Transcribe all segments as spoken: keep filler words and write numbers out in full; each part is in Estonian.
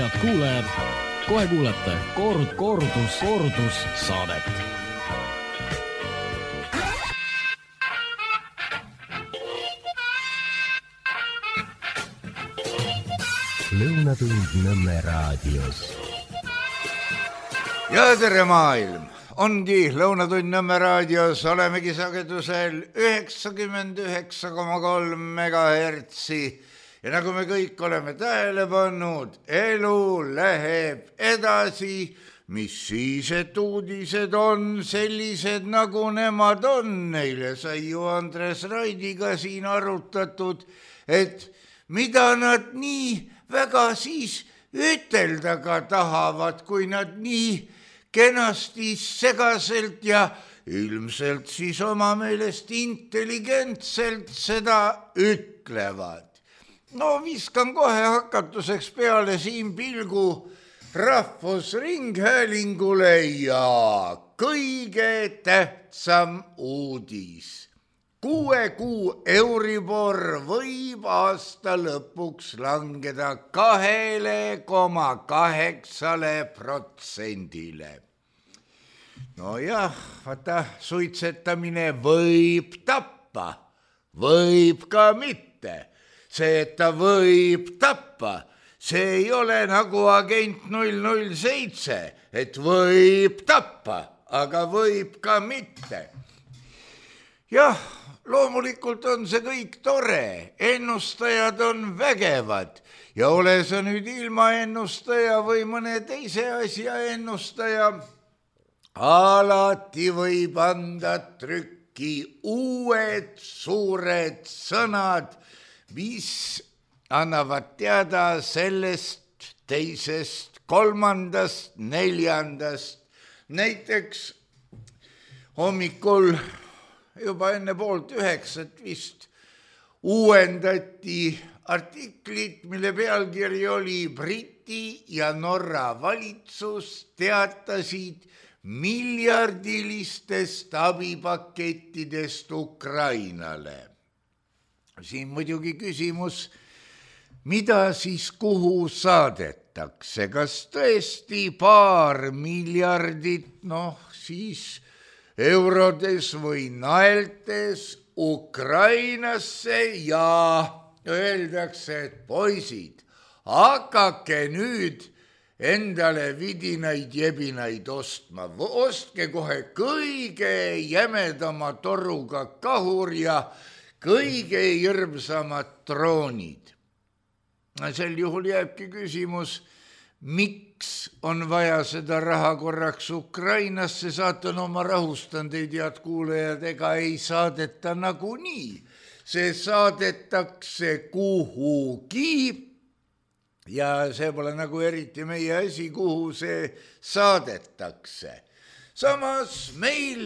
head kuulajad, kohe kuulete koord, koordus, koordus saadet. Lõunatund Nõmme raadios. Ja tere maailm! Ongi Lõunatund Nõmme raadios, olemegi sagedusel üheksakümmend üheksa koma kolm megahertsi. Ja nagu me kõik oleme tähele pannud, elu läheb edasi, mis siis, et uudised on sellised, nagu nemad on. Neile sai ju Andres Raidiga siin arutatud, et mida nad nii väga siis ütelda ka tahavad, kui nad nii kenasti segaselt ja ilmselt siis oma meelest intelligentselt seda ütlevad. No viskan kohe hakatuseks peale siin pilgu Rahvusringhäälingule ja kõige tähtsam uudis. Kuue kuu Euribor võib aasta lõpuks langeda kahele koma kaheksale protsendile. No jah, vaata, suitsetamine võib tappa, võib ka mitte. See, et ta võib tappa, see ei ole nagu agent null null seitse, et võib tappa, aga võib ka mitte. Jah, loomulikult on see kõik tore, ennustajad on vägevad ja ole sa nüüd ilma ennustaja või mõne teise asja ennustaja, alati võib anda trükki uued suured sõnad, mis annavad teada sellest, teisest, kolmandast, neljandast. Näiteks hommikul juba enne poolt üheksat vist uuendati artiklit, mille pealkiri oli Briti ja Norra valitsus teatasid miljardilistest abipakettidest Ukrainale. Siin muidugi küsimus, mida siis kuhu saadetakse, kas tõesti paar miljardit, noh siis eurodes või naeltes Ukrainasse ja öeldakse, et poisid, hakake nüüd endale vidinaid jebinaid ostma, ostke kohe kõige jämedama toruga kahur ja kõige hirmsamad droonid. Sel juhul jääbki küsimus, miks on vaja seda raha korraks Ukrainasse saata, no ma rahustan teid, head kuulajad, ega ei saadeta nagu nii. See saadetakse kuhugi ja see pole nagu eriti meie asi, kuhu see saadetakse. Samas meil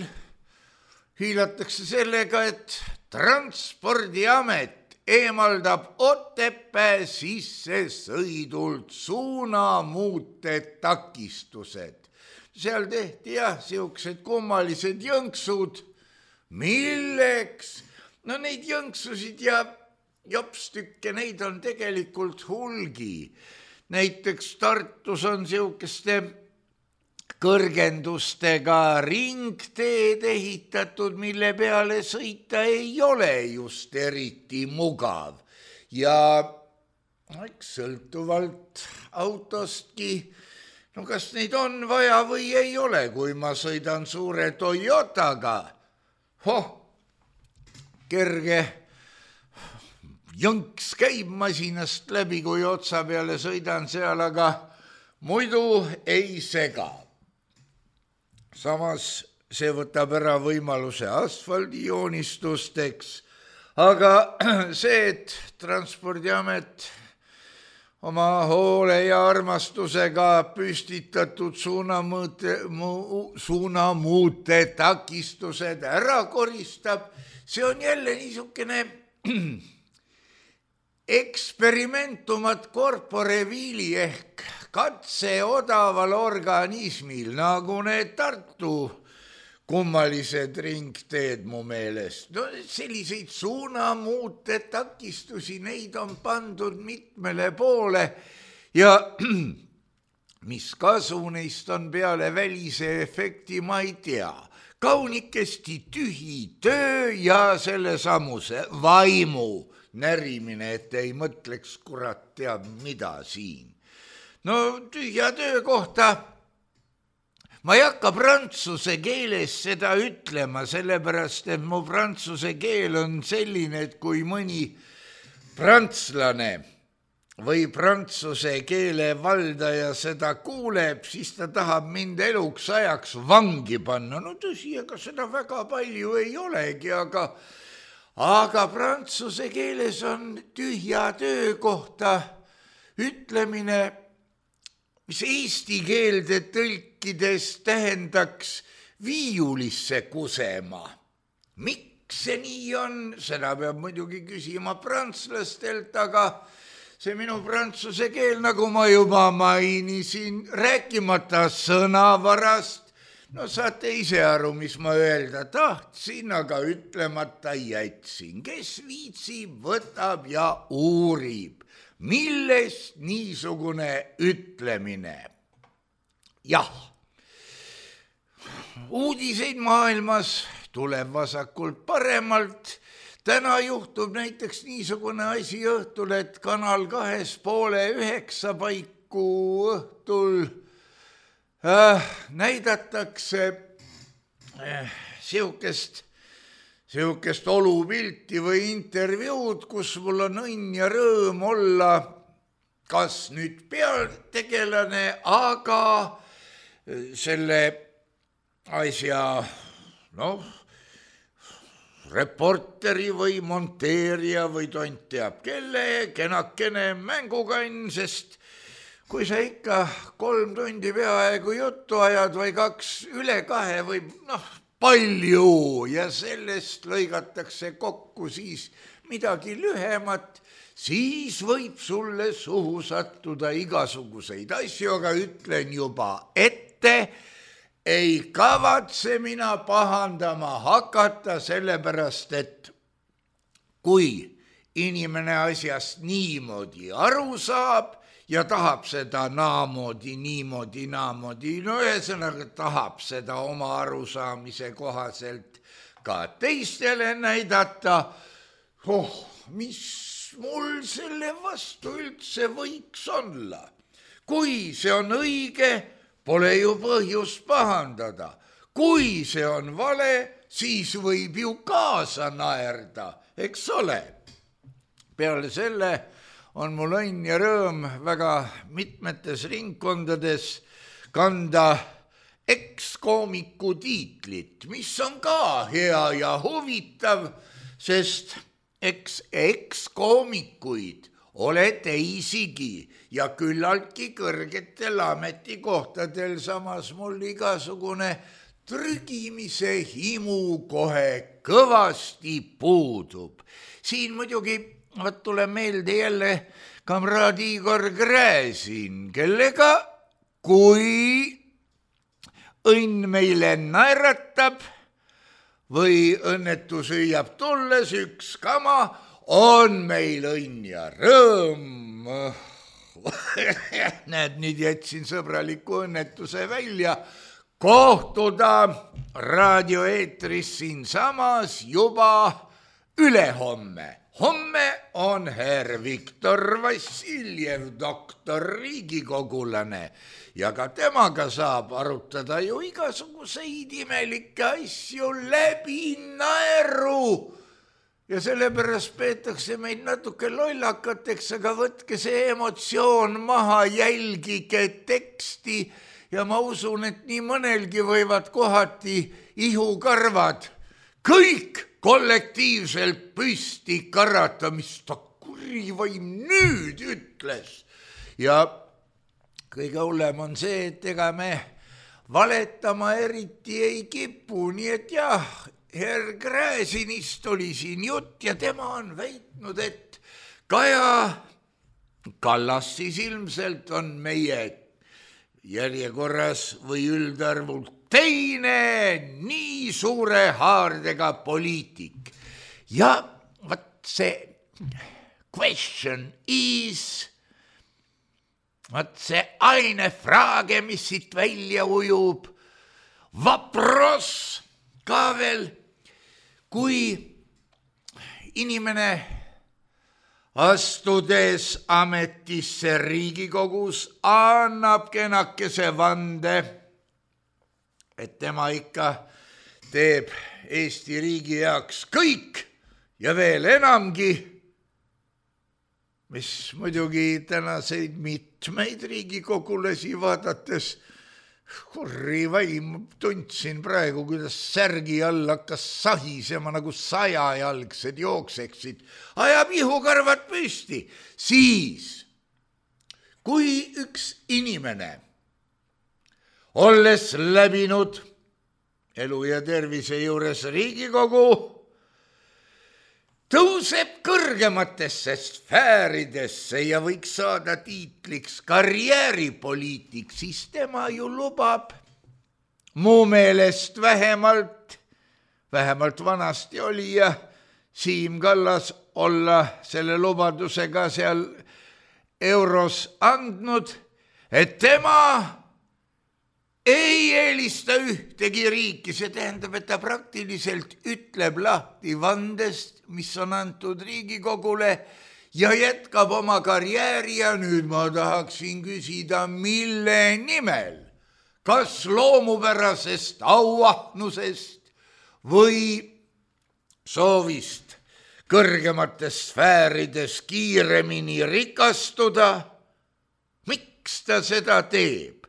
hiilatakse sellega, et Transpordiamet eemaldab Otepää sisse sõidult suunamuute takistused. Seal tehti jah, siuksed kummalised jõnksud. Milleks? No neid jõnksusid ja jopstükke, neid on tegelikult hulgi. Näiteks Tartus on siukeste kõrgendustega ringteed ehitatud, mille peale sõita ei ole just eriti mugav. Ja eks sõltuvalt autostki, no kas neid on vaja või ei ole, kui ma sõidan suure Toyotaga. Hoh, kerge jõnks käib masinast läbi, kui otsa peale sõidan seal, aga muidu ei sega. Samas see võtab ära võimaluse asfaldijoonistusteks, aga see, et Transpordiamet oma hoole ja armastusega püstitatud suunamõõte, mu, suunamuute takistused ära koristab, see on jälle niisugune experimentumat corpore vili ehk katse odaval organismil, nagu need Tartu kummalised ringteed mu meelest. No selliseid suunamuute takistusi, neid on pandud mitmele poole ja mis kasu neist on peale välise efekti, ma ei tea. Kaunikesti tühi töö ja selle samuse vaimu närimine, et ei mõtleks kurat teab mida siin. No tühja töö kohta ma ei hakka prantsuse keeles seda ütlema, sellepärast, et mu prantsuse keel on selline, et kui mõni prantslane või prantsuse keele valdaja seda kuuleb, siis ta tahab mind eluks ajaks vangi panna. No tõsi, ega seda väga palju ei olegi, aga, aga prantsuse keeles on tühja töö kohta ütlemine, mis eesti keelde tõlkides tähendaks viiulisse kusema. Miks see nii on? Seda peab muidugi küsima prantslastelt, aga see minu prantsuse keel, nagu ma juba mainisin, rääkimata sõnavarast, no saate ise aru, mis ma öelda tahtsin, aga ütlemata jätsin. Kes viitsib, võtab ja uurib. Millest niisugune ütlemine? Jah, uudiseid maailmas tuleb vasakult paremalt. Täna juhtub näiteks niisugune asi õhtul, et Kanal kahes poole üheksa paiku õhtul äh, näidatakse äh, siukest, siukest olupilti või intervjuud, kus mul on õnn ja rõõm olla kas nüüd pealtegelane, aga selle asja, noh, reporteri või monteerija või tont teab kelle, kenakene mängukann, sest kui sa ikka kolm tundi peaaegu juttu ajad või kaks üle kahe või noh, palju ja sellest lõigatakse kokku siis midagi lühemat, siis võib sulle suhu sattuda igasuguseid asju, aga ütlen juba ette, ei kavatse mina pahandama hakata, sellepärast, et kui inimene asjast niimoodi aru saab ja tahab seda naamoodi, niimoodi, naamoodi, no ühesõnaga tahab seda oma arusaamise kohaselt ka teistele näidata, oh, mis mul selle vastu üldse võiks olla. Kui see on õige, pole ju põhjust pahandada. Kui see on vale, siis võib ju kaasa naerda, eks ole. Peale selle on mul õnn ja rõõm väga mitmetes ringkondades kanda ekskoomiku tiitlit, mis on ka hea ja huvitav, sest eks ekskoomikuid ole teisigi ja küllaltki kõrgetel ametikohtadel, samas mul igasugune trügimise himu kohe kõvasti puudub. Siin muidugi võt tuleb meelde jälle kamraad Igor Gräzin, kellega kui õnn meile naeratab või õnnetus hüüab tulles üks kama, on meil õnn ja rõõm. Näed, nüüd jätsin sõbraliku õnnetuse välja kohtuda raadioeetris siinsamas juba ülehomme. Homme on herr Viktor Vassiljev, doktor riigikogulane ja ka temaga saab arutada ju igasuguseid imelikke asju läbi naeru. Ja sellepärast peetakse meid natuke lollakateks, aga võtke see emotsioon maha, jälgige teksti ja ma usun, et nii mõnelgi võivad kohati ihukarvad kõik kollektiivselt püsti karata, mis ta kurivaim nüüd ütles. Ja kõige hullem on see, et ega me valetama eriti ei kipu, nii et jah, herr Gräzinist oli siin jutt ja tema on väitnud, et Kaja Kallas siis ilmselt on meie järjekorras või üldarvult teine nii suure haardega poliitik. Ja vat see question is, vaat see ainefraage, mis siit välja ujub, vapros ka veel, kui inimene astudes ametisse Riigikogus annab kenakese vande, et tema ikka teeb Eesti riigi jaoks kõik ja veel enamgi, mis muidugi tänaseid mitmeid riigikogulasi vaadates kurri vaim tundsin praegu, kuidas särgi all hakkas sahisema nagu sajajalgsed jookseksid, ajab ihukarvad püsti. Siis, kui üks inimene, olles läbinud elu ja tervise juures Riigikogu, tõuseb kõrgematesse sfääridesse ja võiks saada tiitliks karjääripoliitik, siis tema ju lubab mu meelest vähemalt, vähemalt vanasti oli ja Siim Kallas olla selle lubadusega seal euros andnud, et tema ei eelista ühtegi riiki, see tähendab, et ta praktiliselt ütleb lahti vandest, mis on antud Riigikogule ja jätkab oma karjääri ja nüüd ma tahaksin küsida, mille nimel, kas loomupärasest auahnusest või soovist kõrgemates sfäärides kiiremini rikastuda, miks ta seda teeb?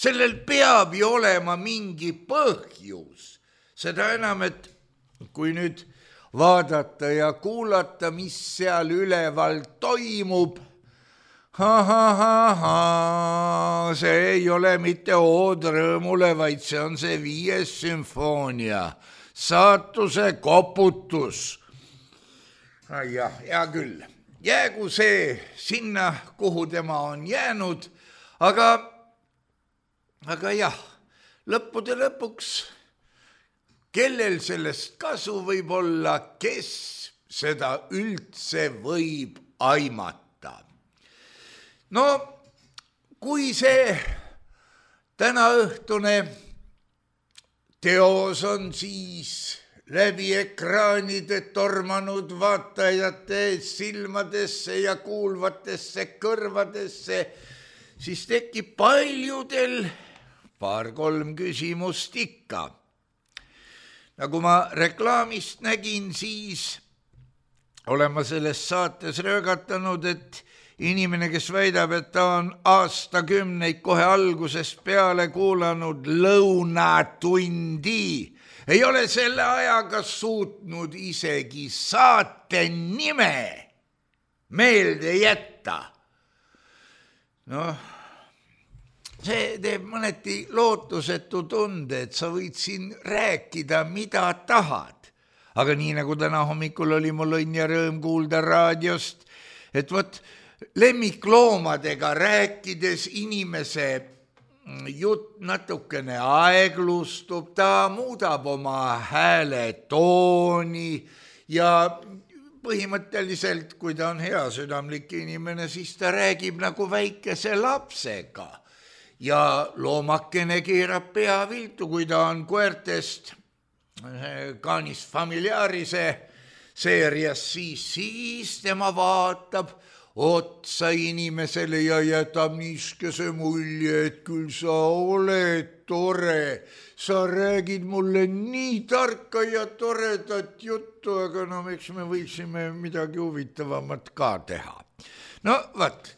Sellel peab ju olema mingi põhjus, seda enam, et kui nüüd vaadata ja kuulata, mis seal üleval toimub, ha, ha, ha, ha, see ei ole mitte ood rõõmule, vaid see on see viies sümfoonia, saatuse koputus. Jah, hea küll, jäägu see sinna, kuhu tema on jäänud, aga Aga jah, lõppude lõpuks, kellel sellest kasu võib olla, kes seda üldse võib aimata. No, kui see tänaõhtune teos on siis läbi ekraanide tormanud vaatajate silmadesse ja kuulvatesse kõrvadesse, siis tekib paljudel paar-kolm küsimust ikka. Nagu ma reklaamist nägin, siis olen ma selles saates röögatanud, et inimene, kes väidab, et ta on aastakümneid kohe algusest peale kuulanud lõunatundi, ei ole selle ajaga suutnud isegi saate nime meelde jätta. Noh, see teeb mõneti lootusetu tunde, et sa võid siin rääkida, mida tahad. Aga nii nagu täna hommikul oli mul õnn ja rõõm kuulda raadiost, et võt lemmikloomadega rääkides inimese jutt natukene aeglustub, ta muudab oma hääle tooni ja põhimõtteliselt, kui ta on hea südamlik inimene, siis ta räägib nagu väikese lapsega. Ja loomakene keerab pea viltu, kui ta on koertest Canis Familiarise seerias, siis, siis tema vaatab otsa inimesele ja jätab niiskese mulje, et küll sa oled tore. Sa räägid mulle nii tarka ja toredat juttu, aga no eks me võiksime midagi huvitavamat ka teha. No vaat.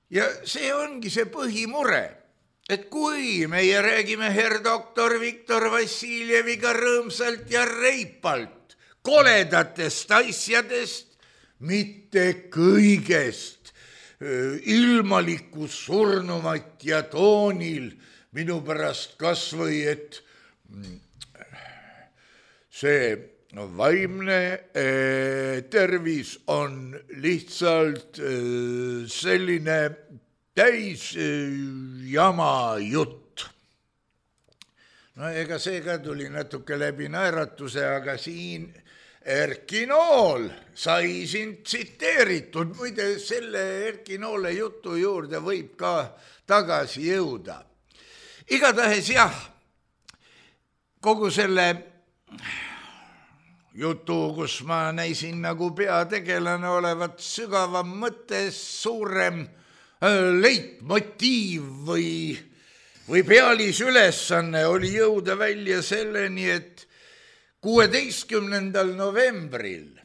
Ja see ongi see põhimure, et kui meie räägime herr doktor Viktor Vassiljeviga rõõmsalt ja reipalt koledatest asjadest, mitte kõigest, ilmalikus surnumat ja toonil, minu pärast kas või, et see vaimne tervis on lihtsalt selline täis jama jutt. No ega see ka tuli natuke läbi naeratuse, aga siin Erki Nool sai siin tsiteeritud, muide selle Erki Noole jutu juurde võib ka tagasi jõuda. Igatahes jah, kogu selle jutu, kus ma näisin nagu peategelane olevat sügavam mõte, suurem leitmotiiv või, või pealisülesanne oli jõuda välja selleni, et kuueteistkümnendal novembril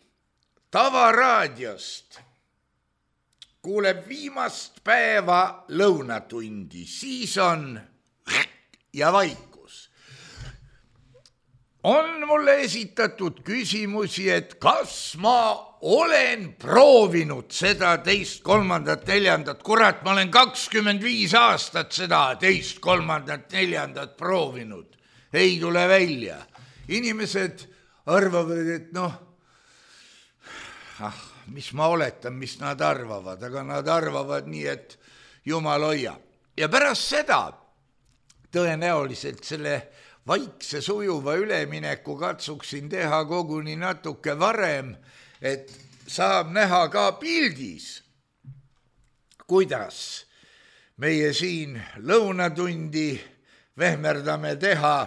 Tavaraadiost kuuleb viimast päeva lõunatundi, siis on ja vaikus. On mulle esitatud küsimusi, et kas ma olen proovinud seda teist, kolmandat, neljandat, kurat, ma olen kakskümmend viis aastat seda teist, kolmandat, neljandat proovinud, ei tule välja. Inimesed arvavad, et noh, ah, mis ma oletan, mis nad arvavad, aga nad arvavad nii, et jumal hoia. Ja pärast seda tõenäoliselt selle vaikse sujuva ülemineku katsuksin teha koguni natuke varem, et saab näha ka pildis, kuidas meie siin lõunatundi vehmerdame teha,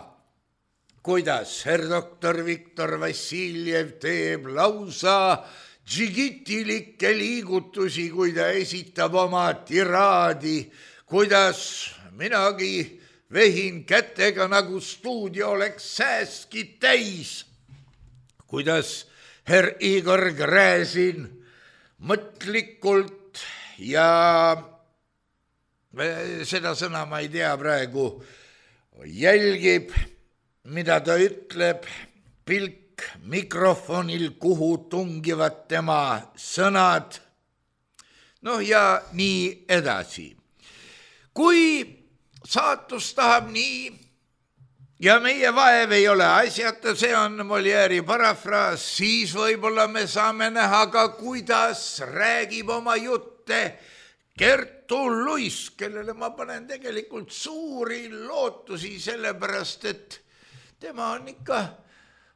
kuidas herr doktor Viktor Vassiljev teeb lausa džigitilikke liigutusi, kui ta esitab oma tiraadi, kuidas minagi vehin kätega, nagu stuudio oleks sääski täis, kuidas herr Igor Gräzin mõtlikult ja seda sõna ma ei tea praegu, jälgib, mida ta ütleb, pilk mikrofonil, kuhu tungivad tema sõnad, noh ja nii edasi. Kui saatus tahab nii ja meie vaev ei ole asjata, see on Molière'i parafraas, siis võib-olla me saame näha ka, kuidas räägib oma jutte Kertu Luis, kellele ma panen tegelikult suuri lootusi, sellepärast et tema on ikka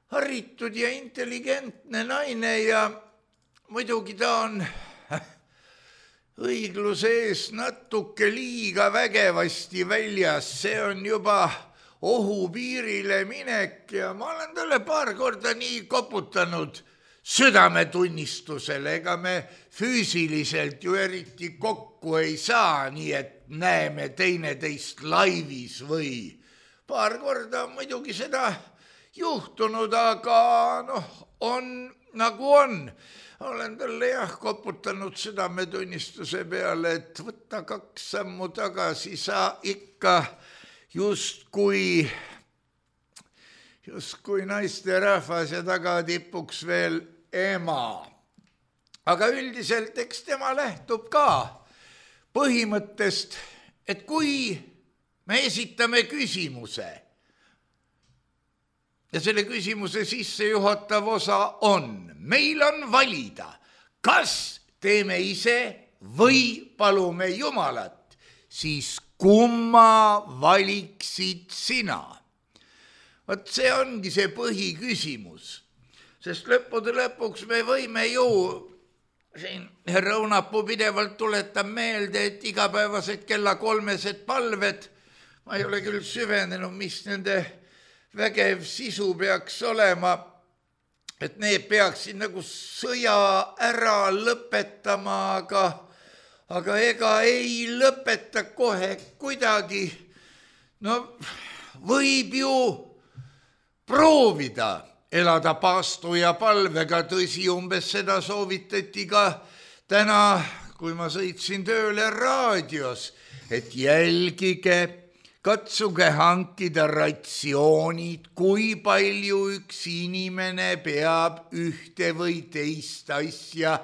haritud ja intelligentne naine ja muidugi ta on õigluse ees natuke liiga vägevasti väljas, see on juba ohupiirile minek ja ma olen talle paar korda nii koputanud südametunnistusele, ega me füüsiliselt ju eriti kokku ei saa, nii et näeme teineteist laivis või paar korda muidugi seda juhtunud, aga noh, on nagu on. Olen talle jah koputanud südametunnistuse peale, et võtta kaks sammu tagasi, sa ikka justkui, justkui naiste rahvas ja tagatipuks veel ema. Aga üldiselt eks tema lähtub ka põhimõttest, et kui me esitame küsimuse ja selle küsimuse sissejuhatav osa on, meil on valida, kas teeme ise või palume Jumalat, siis kumma valiksid sina? Vot see ongi see põhiküsimus, sest lõppude lõpuks me võime ju, siin herra Õunapuu pidevalt tuletab meelde, et igapäevased kella kolmesed palved, ma ei ole küll süvenenud, mis nende vägev sisu peaks olema, et need peaksid nagu sõja ära lõpetama, aga, aga ega ei lõpeta kohe kuidagi. No võib ju proovida elada paastu ja palvega, tõsi, umbes seda soovitati ka täna, kui ma sõitsin tööle raadios, et jälgige, katsuge hankida ratsioonid, kui palju üks inimene peab ühte või teist asja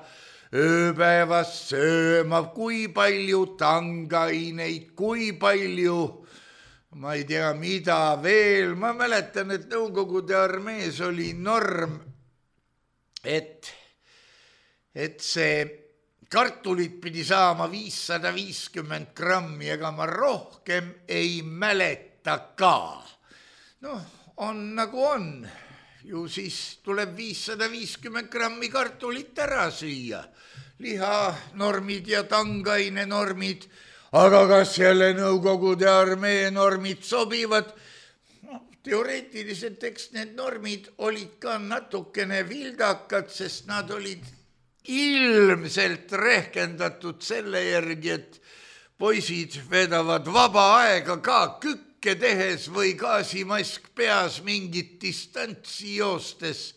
ööpäevas sööma, kui palju tangaineid, kui palju, ma ei tea, mida veel. Ma mäletan, et Nõukogude armees oli norm, et, et see kartulit pidi saama viissada viiskümmend grammi, ega ma rohkem ei mäleta ka. Noh, on nagu on. ju siis tuleb viissada viiskümmend grammi kartulit ära süüa. Lihanormid ja tangaine normid, aga kas jälle Nõukogude armee normid sobivad? No, teoreetiliselt eks need normid olid ka natukene vildakad, sest nad olid ilmselt rehkendatud selle järgi, et poisid vedavad vaba aega ka kükke tehes või gaasimask peas mingit distantsi joostes.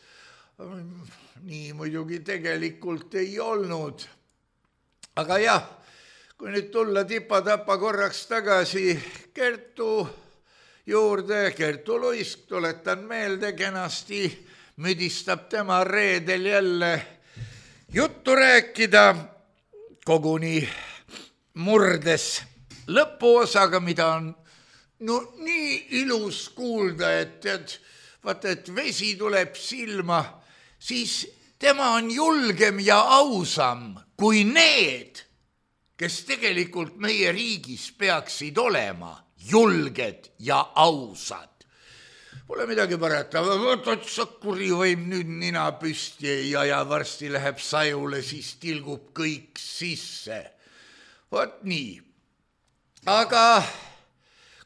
Nii muidugi tegelikult ei olnud. Aga jah, kui nüüd tulla tipa-tapa korraks tagasi Kertu juurde, Kertu Luisk, tuletan meelde, kenasti müdistab tema reedel jälle juttu rääkida, koguni murdes lõpuosaga, mida on no nii ilus kuulda, et tead, vaata, et vesi tuleb silma, siis tema on julgem ja ausam kui need, kes tegelikult meie riigis peaksid olema julged ja ausad. Pole midagi parata, võtad Sakuri võib nüüd nina püsti ja, ja varsti läheb sajule, siis tilgub kõik sisse. Vot nii. Aga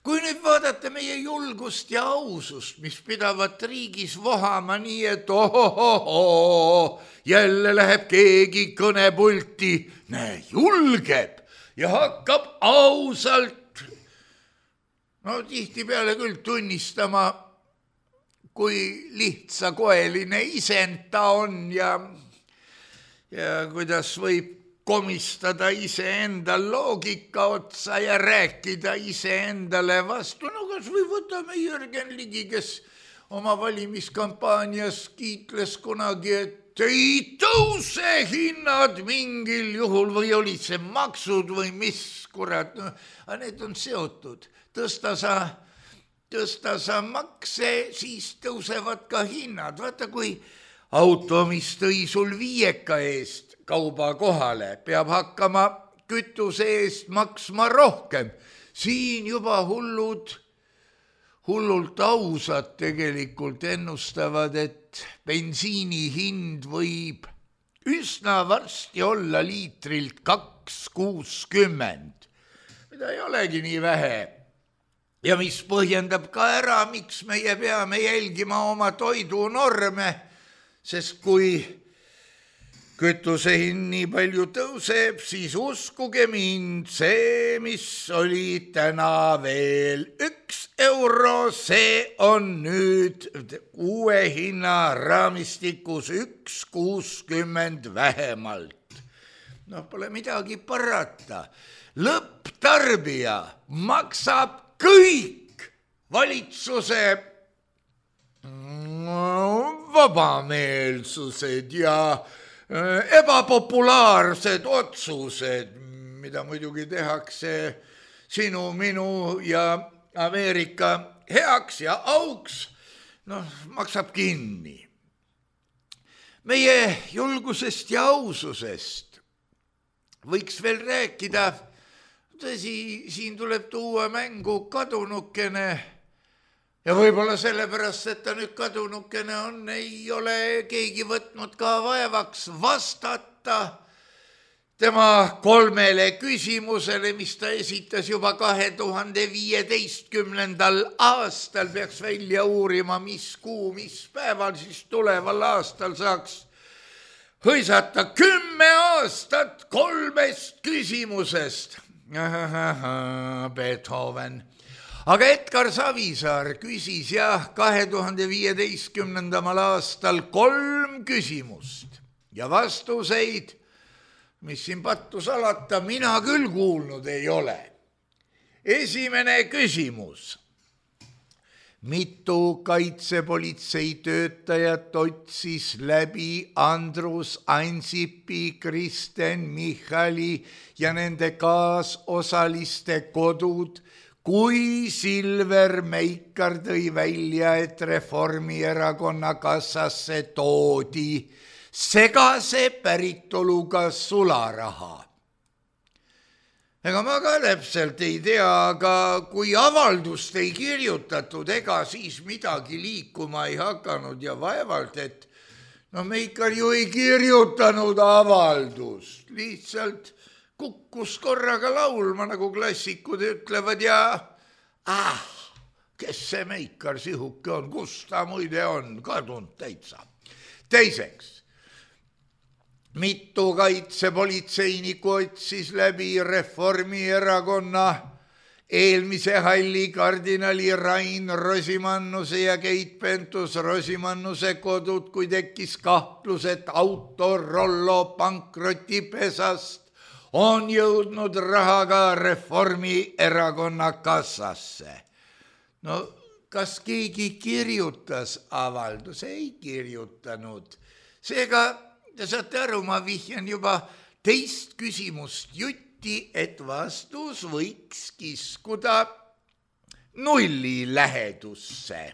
kui nüüd vaadata meie julgust ja ausust, mis pidavat riigis vohama nii, et ohohoho, jälle läheb keegi kõnepulti, näe, julgeb ja hakkab ausalt, no tihtipeale küll tunnistama, kui lihtsakoeline isend ta on ja, ja kuidas võib komistada iseenda loogika otsa ja rääkida iseendale vastu. No kas või võtame Jürgen Ligi, kes oma valimiskampaanias kiitles kunagi, et ei tõuse hinnad mingil juhul või olid see maksud või mis kurat. No, aga need on seotud. Tõsta sa, tõsta sa makse, siis tõusevad ka hinnad. Vaata, kui auto, mis tõi sul viieka eest kauba kohale, peab hakkama kütuse eest maksma rohkem. Siin juba hullud, hullult ausad tegelikult ennustavad, et bensiini hind võib üsna varsti olla liitrilt kaks kuuskümmend, mida ei olegi nii vähe. Ja mis põhjendab ka ära, miks meie peame jälgima oma toidunorme, sest kui kütuse hind nii palju tõuseb, siis uskuge mind, see, mis oli täna veel üks euro, see on nüüd uue hinna raamistikus üks kuuskümmend vähemalt. No pole midagi parata. Lõpptarbija maksab kõik valitsuse vabameelsused ja ebapopulaarsed otsused, mida muidugi tehakse sinu, minu ja Ameerika heaks ja auks, noh, maksab kinni. Meie julgusest ja aususest võiks veel rääkida, tõsi, siin tuleb tuua mängu kadunukene, ja võib-olla sellepärast, et ta nüüd kadunukene on, ei ole keegi võtnud ka vaevaks vastata tema kolmele küsimusele, mis ta esitas juba kahe tuhande viieteistkümnendal aastal, peaks välja uurima, mis kuu, mis päeval siis tuleval aastal saaks hõisata kümme aastat kolmest küsimusest. Beethoven. Aga Edgar Savisaar küsis jah kahe tuhande viieteistkümnendal aastal kolm küsimust ja vastuseid, mis siin pattu salata, mina küll kuulnud ei ole. Esimene küsimus. Mitu kaitsepolitsei töötajat otsis läbi Andrus Ansipi, Kristen Michali ja nende kaasosaliste kodud, kui Silver Meikar tõi välja, et Reformierakonna kassasse toodi segase päritoluga sularaha. ega ma ka täpselt ei tea, aga kui avaldust ei kirjutatud, ega siis midagi liikuma ei hakanud ja vaevalt, et no me ikka ju ei kirjutanud avaldust, lihtsalt kukkus korraga laulma, nagu klassikud ütlevad ja ah, kes see Meikar sihuke on, kus ta muide on, kadunud täitsa. Teiseks, mitu kaitsepolitseinikku otsis läbi Reformierakonna eelmise halli kardinali Rain Rosimannuse ja Keit Pentus-Rosimannuse kodud, kui tekkis kahtlus, et Autorollo pankrotipesast on jõudnud rahaga Reformierakonna kassasse. No kas keegi kirjutas avalduse? Ei kirjutanud. Seega te saate aru, ma vihjan juba teist küsimust jutti, et vastus võiks kiskuda nulli lähedusse.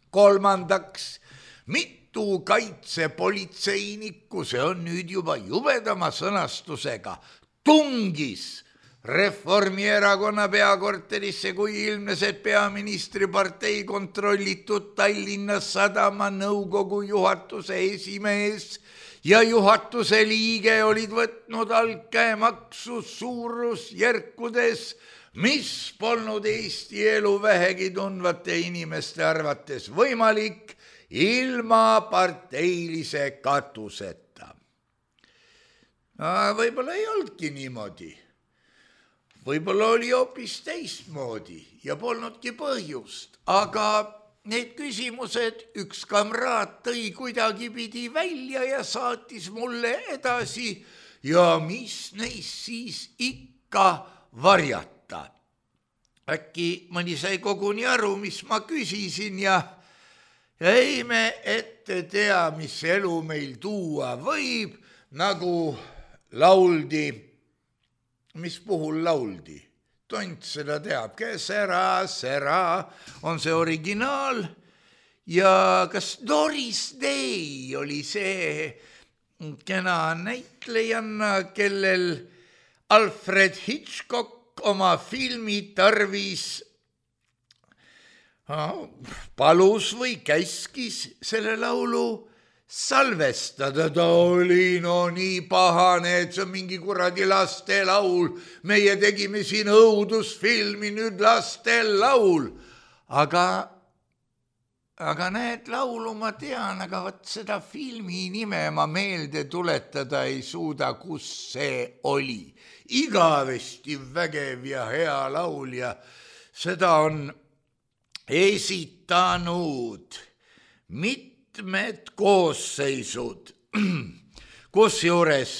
Kolmandaks, mitu kaitsepolitseinikku, see on nüüd juba jubedama sõnastusega, tungis Reformierakonna peakorterisse, kui ilmnes, et peaministri partei kontrollitud Tallinna Sadama nõukogu juhatuse esimees ja juhatuse liige olid võtnud altkäemaksu suurusjärkudes, mis polnud Eesti elu vähegi tundvate inimeste arvates võimalik ilma parteilise katuseta. No, võib-olla ei olnudki niimoodi. Võib-olla oli hoopis teistmoodi ja polnudki põhjust, aga need küsimused üks kamraad tõi kuidagi pidi välja ja saatis mulle edasi ja mis neist siis ikka varjata. Äkki mõni sai koguni aru, mis ma küsisin ja ei me ette tea, mis elu meil tuua võib, nagu lauldi. Mis puhul lauldi? Tont seda teab, kes ära, sära on see originaal ja kas Doris Day oli see kena näitlejanna, kellel Alfred Hitchcock oma filmi tarvis palus või käskis selle laulu salvestada. Ta oli no nii pahane, et see on mingi kuradi laste laul. Meie tegime siin õudusfilmi, nüüd laste laul. Aga, aga need laulu ma tean, aga võt seda filmi nime ma meelde tuletada ei suuda, kus see oli. Igavesti vägev ja hea laul ja seda on esitanud mitte mitmed koosseisud, kusjuures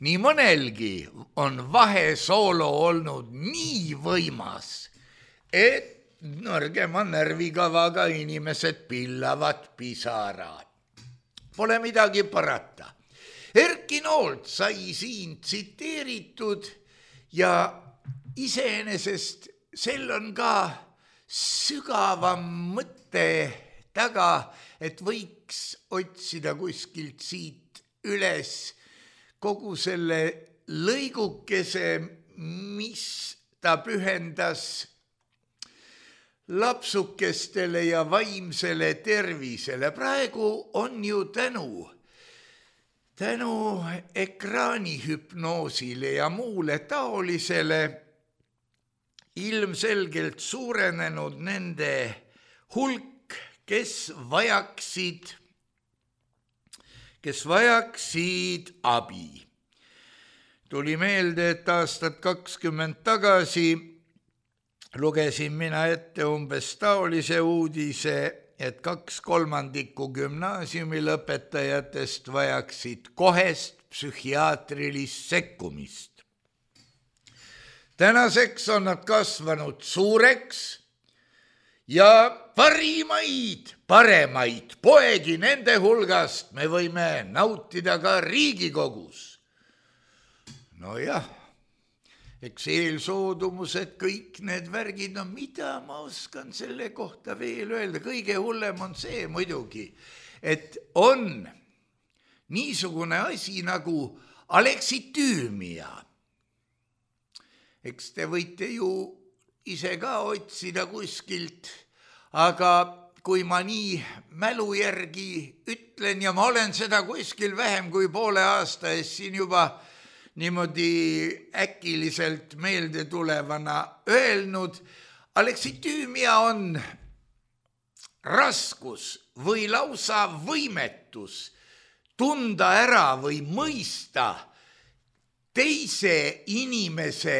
nii mõnelgi on vahesoolo olnud nii võimas, et nõrgema närvikavaga inimesed pillavad pisarad. Pole midagi parata. Erki Noolt sai siin tsiteeritud ja iseenesest sel on ka sügavam mõte taga, et võiks otsida kuskilt siit üles kogu selle lõigukese, mis ta pühendas lapsukestele ja vaimsele tervisele. Praegu on ju tänu, tänu ekraanihüpnoosile ja muule taolisele ilmselgelt suurenenud nende hulk, kes vajaksid, kes vajaksid abi. Tuli meelde, et aastat kakskümmend tagasi lugesin mina ette umbes taolise uudise, et kaks kolmandikku gümnaasiumi lõpetajatest vajaksid kohest psühhiaatrilist sekkumist. Tänaseks on nad kasvanud suureks ja parimaid, paremaid poegi nende hulgast me võime nautida ka Riigikogus. No jah, eks eelsoodumused, kõik need värgid, no mida ma oskan selle kohta veel öelda, kõige hullem on see muidugi, et on niisugune asi nagu aleksitüümia. eks te võite ju ise ka otsida kuskilt, aga kui ma nii mälu järgi ütlen ja ma olen seda kuskil vähem kui poole aasta eest siin juba niimoodi äkiliselt meelde tulevana öelnud, aleksitüümia on raskus või lausa võimetus tunda ära või mõista teise inimese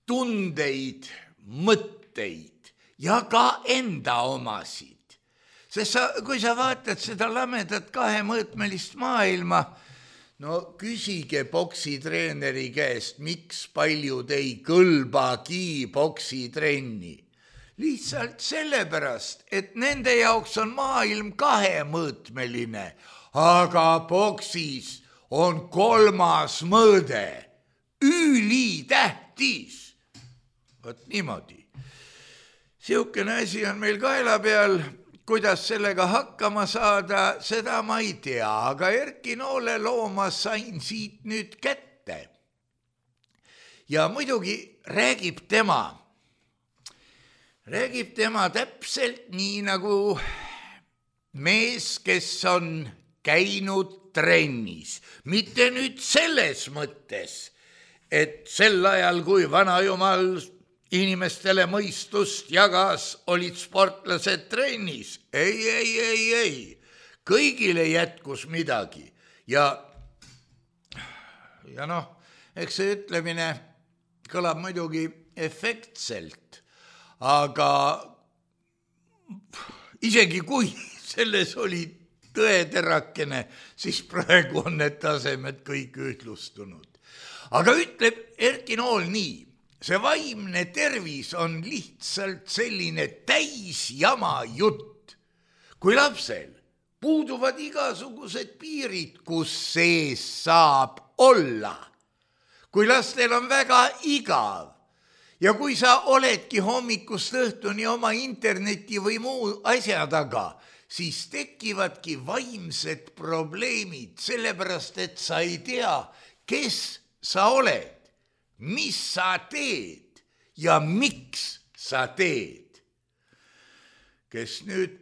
tundeid, mõtteid ja ka enda omasid. Sest sa, kui sa vaatad seda lamedat kahemõõtmelist maailma, no küsige poksitreeneri käest, miks paljud ei kõlbagi poksitrenni. Lihtsalt sellepärast, et nende jaoks on maailm kahemõõtmeline, aga poksis on kolmas mõõde, ülitähtis. Vot niimoodi. Siukene asi on meil kaela peal, kuidas sellega hakkama saada, seda ma ei tea, aga Erki Noole looma sain siit nüüd kätte. Ja muidugi räägib tema, räägib tema täpselt nii nagu mees, kes on käinud trennis. Mitte nüüd selles mõttes, et sel ajal, kui vana jumal inimestele mõistust jagas, olid sportlased trennis. Ei, ei, ei, ei. Kõigile jätkus midagi. Ja, ja noh, eks see ütlemine kõlab muidugi efektselt, aga isegi kui selles oli tõeterakene, siis praegu on need tasemed kõik ühtlustunud. Aga ütleb Erki Nool nii, see vaimne tervis on lihtsalt selline täisjama jutt. Kui lapsel puuduvad igasugused piirid, kus sees saab olla. Kui lastel on väga igav ja kui sa oledki hommikust õhtuni oma interneti või muu asja taga, siis tekivadki vaimsed probleemid, sellepärast et sa ei tea, kes sa oled. Mis sa teed ja miks sa teed. Kes nüüd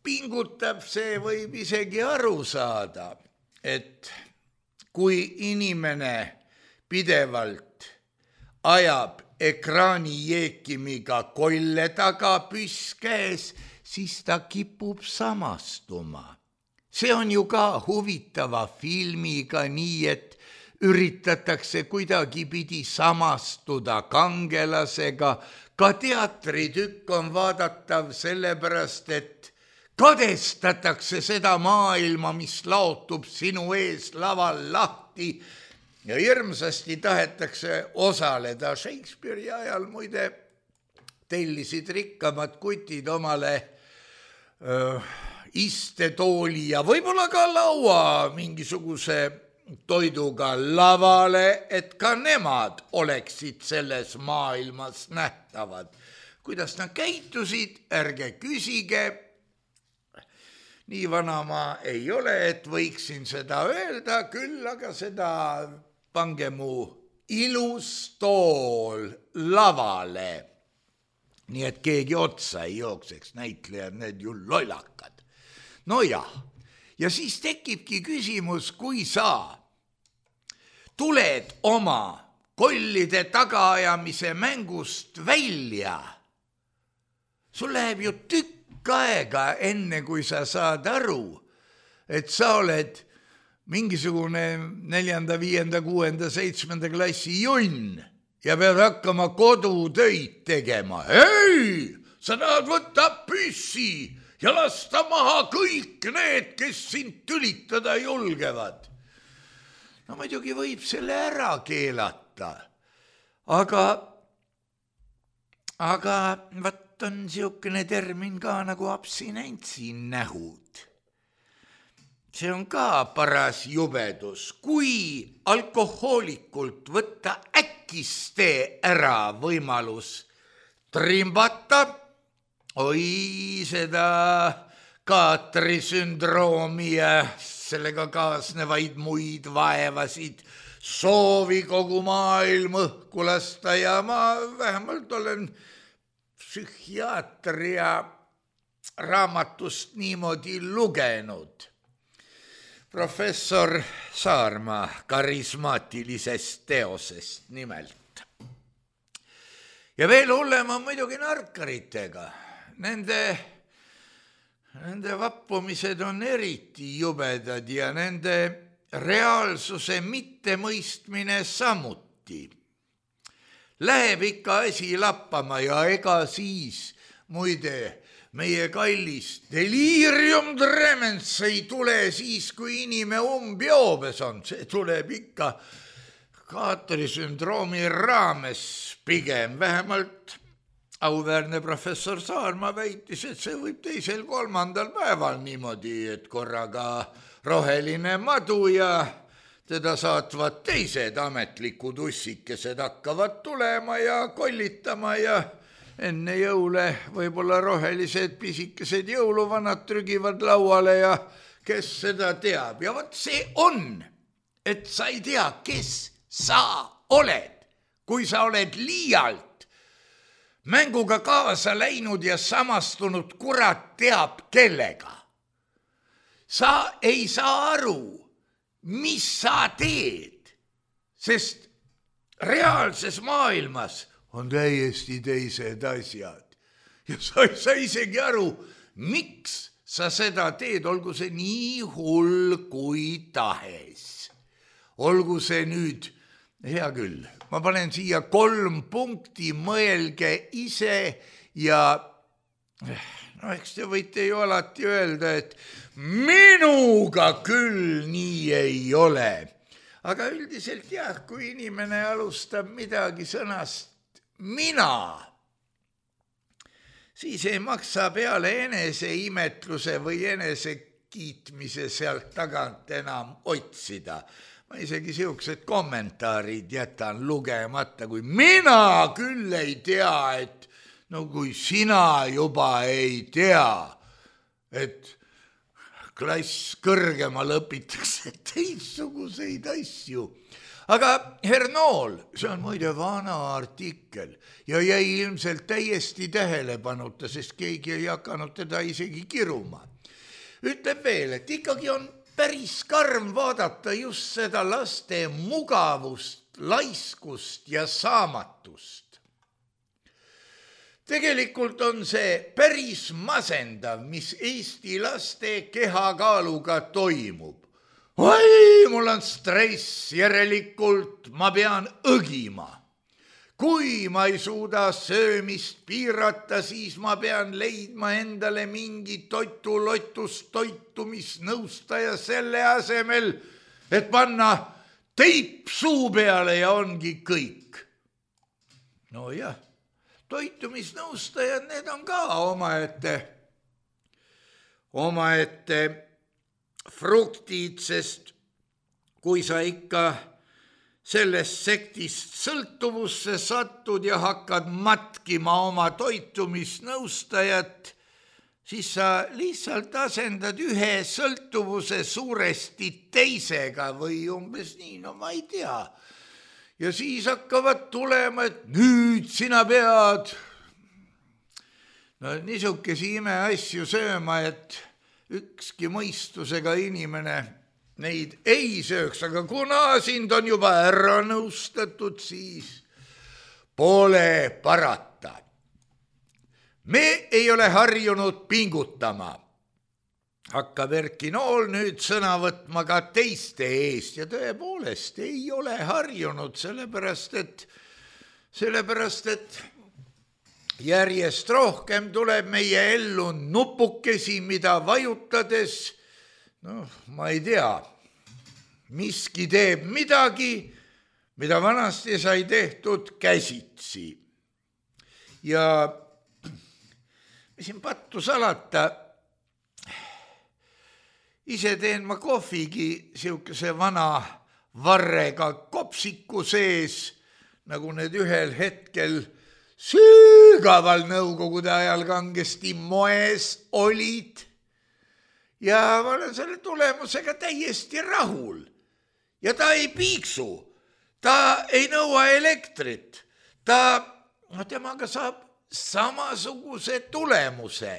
pingutab, see võib isegi aru saada, et kui inimene pidevalt ajab ekraani jeekimiga kolle taga püss käes, siis ta kipub samastuma. See on ju ka huvitava filmiga nii, et üritatakse kuidagi pidi samastuda kangelasega. Ka teatritükk on vaadatav sellepärast, et kadestatakse seda maailma, mis laotub sinu ees laval lahti ja hirmsasti tahetakse osaleda. Shakespeare'i ajal muide tellisid rikkamad kutid omale öö, istetooli ja võib-olla ka laua mingisuguse toiduga lavale, et ka nemad oleksid selles maailmas nähtavad. Kuidas nad käitusid, ärge küsige. Nii vana ma ei ole, et võiksin seda öelda, küll aga seda pange mu ilus tool lavale. Nii et keegi otsa ei jookseks, näitlejad, need ju lollakad. No jah. Ja siis tekibki küsimus, kui sa tuled oma kollide tagaajamise mängust välja, sul läheb ju tükk aega enne, kui sa saad aru, et sa oled mingisugune neljanda, viienda, kuuenda, seitsmenda klassi junn ja pead hakkama kodutöid tegema. Ei, sa tahad võtta püssi ja lasta maha kõik need, kes sind tülitada julgevad. No muidugi võib selle ära keelata, aga, aga vaat on siukene termin ka nagu abstinentsi nähud. See on ka paras jubedus, kui alkohoolikult võtta äkiste ära võimalus trimbata, oi, seda kaatri sündroomi ja sellega kaasnevaid muid vaevasid, soovi kogu maailm õhku lasta ja ma vähemalt olen psühhiaatria raamatust niimoodi lugenud. Professor Saarma karismaatilisest teosest nimelt. Ja veel hullem on muidugi narkaritega. Nende, nende vappumised on eriti jubedad ja nende reaalsuse mittemõistmine samuti. Läheb ikka asi lappama ja ega siis, muide, meie kallis delirium tremens ei tule siis, kui inimene umbjoobes on. See tuleb ikka kaatrisündroomi raames pigem. Vähemalt auväärne professor Saarma väitis, et see võib teisel kolmandal päeval niimoodi, et korraga roheline madu ja teda saatvad teised ametlikud ussikesed hakkavad tulema ja kollitama ja enne jõule võib-olla rohelised pisikesed jõuluvanad trügivad lauale ja kes seda teab. Ja vot see on, et sa ei tea, kes sa oled, kui sa oled liialt mänguga kaasa läinud ja samastunud kurat teab kellega. Sa ei saa aru, mis sa teed, sest reaalses maailmas on täiesti teised asjad. Ja sa ei saa isegi aru, miks sa seda teed, olgu see nii hull kui tahes. Olgu see nüüd, hea küll, ma panen siia kolm punkti, mõelge ise ja no eks te võite ju alati öelda, et minuga küll nii ei ole. Aga üldiselt jah, kui inimene alustab midagi sõnast mina, siis ei maksa peale enese imetluse või enese kiitmise sealt tagant enam otsida. Ma isegi siuksed kommentaarid jätan lugemata, kui mina küll ei tea, et no kui sina juba ei tea, et klass kõrgemal õpitakse teistsuguseid asju. Aga Hernool, see on muide vana artikkel ja jäi ilmselt täiesti tähelepanuta, sest keegi ei hakanud teda isegi kiruma. Ütleb veel, et ikkagi on päris karm vaadata just seda laste mugavust, laiskust ja saamatust. Tegelikult on see päris masendav, mis Eesti laste kehakaaluga toimub. Oi, mul on stress, järelikult ma pean õgima. Kui ma ei suuda söömist piirata, siis ma pean leidma endale mingi toitulotust toitumisnõustaja selle asemel, et panna teip suu peale ja ongi kõik. No jah, toitumisnõustajad, need on ka omaette, omaette fruktid, sest kui sa ikka sellest sektist sõltuvusse satud ja hakkad matkima oma toitumisnõustajat, siis sa lihtsalt asendad ühe sõltuvuse suuresti teisega või umbes nii, no ma ei tea. Ja siis hakkavad tulema, et nüüd sina pead no niisugesi imeasju sööma, et ükski mõistusega inimene neid ei sööks, aga kuna sind on juba ära nõustatud, siis pole parata. Me ei ole harjunud pingutama. Hakkab Erki Nool nüüd sõna võtma ka teiste eest ja tõepoolest ei ole harjunud, sellepärast et, sellepärast et järjest rohkem tuleb meie ellu nupukesi, mida vajutades, noh, ma ei tea, miski teeb midagi, mida vanasti sai tehtud käsitsi. Ja mis siin pattu salata, ise teen ma kohvigi siukese vana varrega kopsiku sees, nagu need ühel hetkel sügaval nõukogude ajal kangesti moes olid. ja ma olen selle tulemusega täiesti rahul. Ja ta ei piiksu, ta ei nõua elektrit, ta, no temaga saab samasuguse tulemuse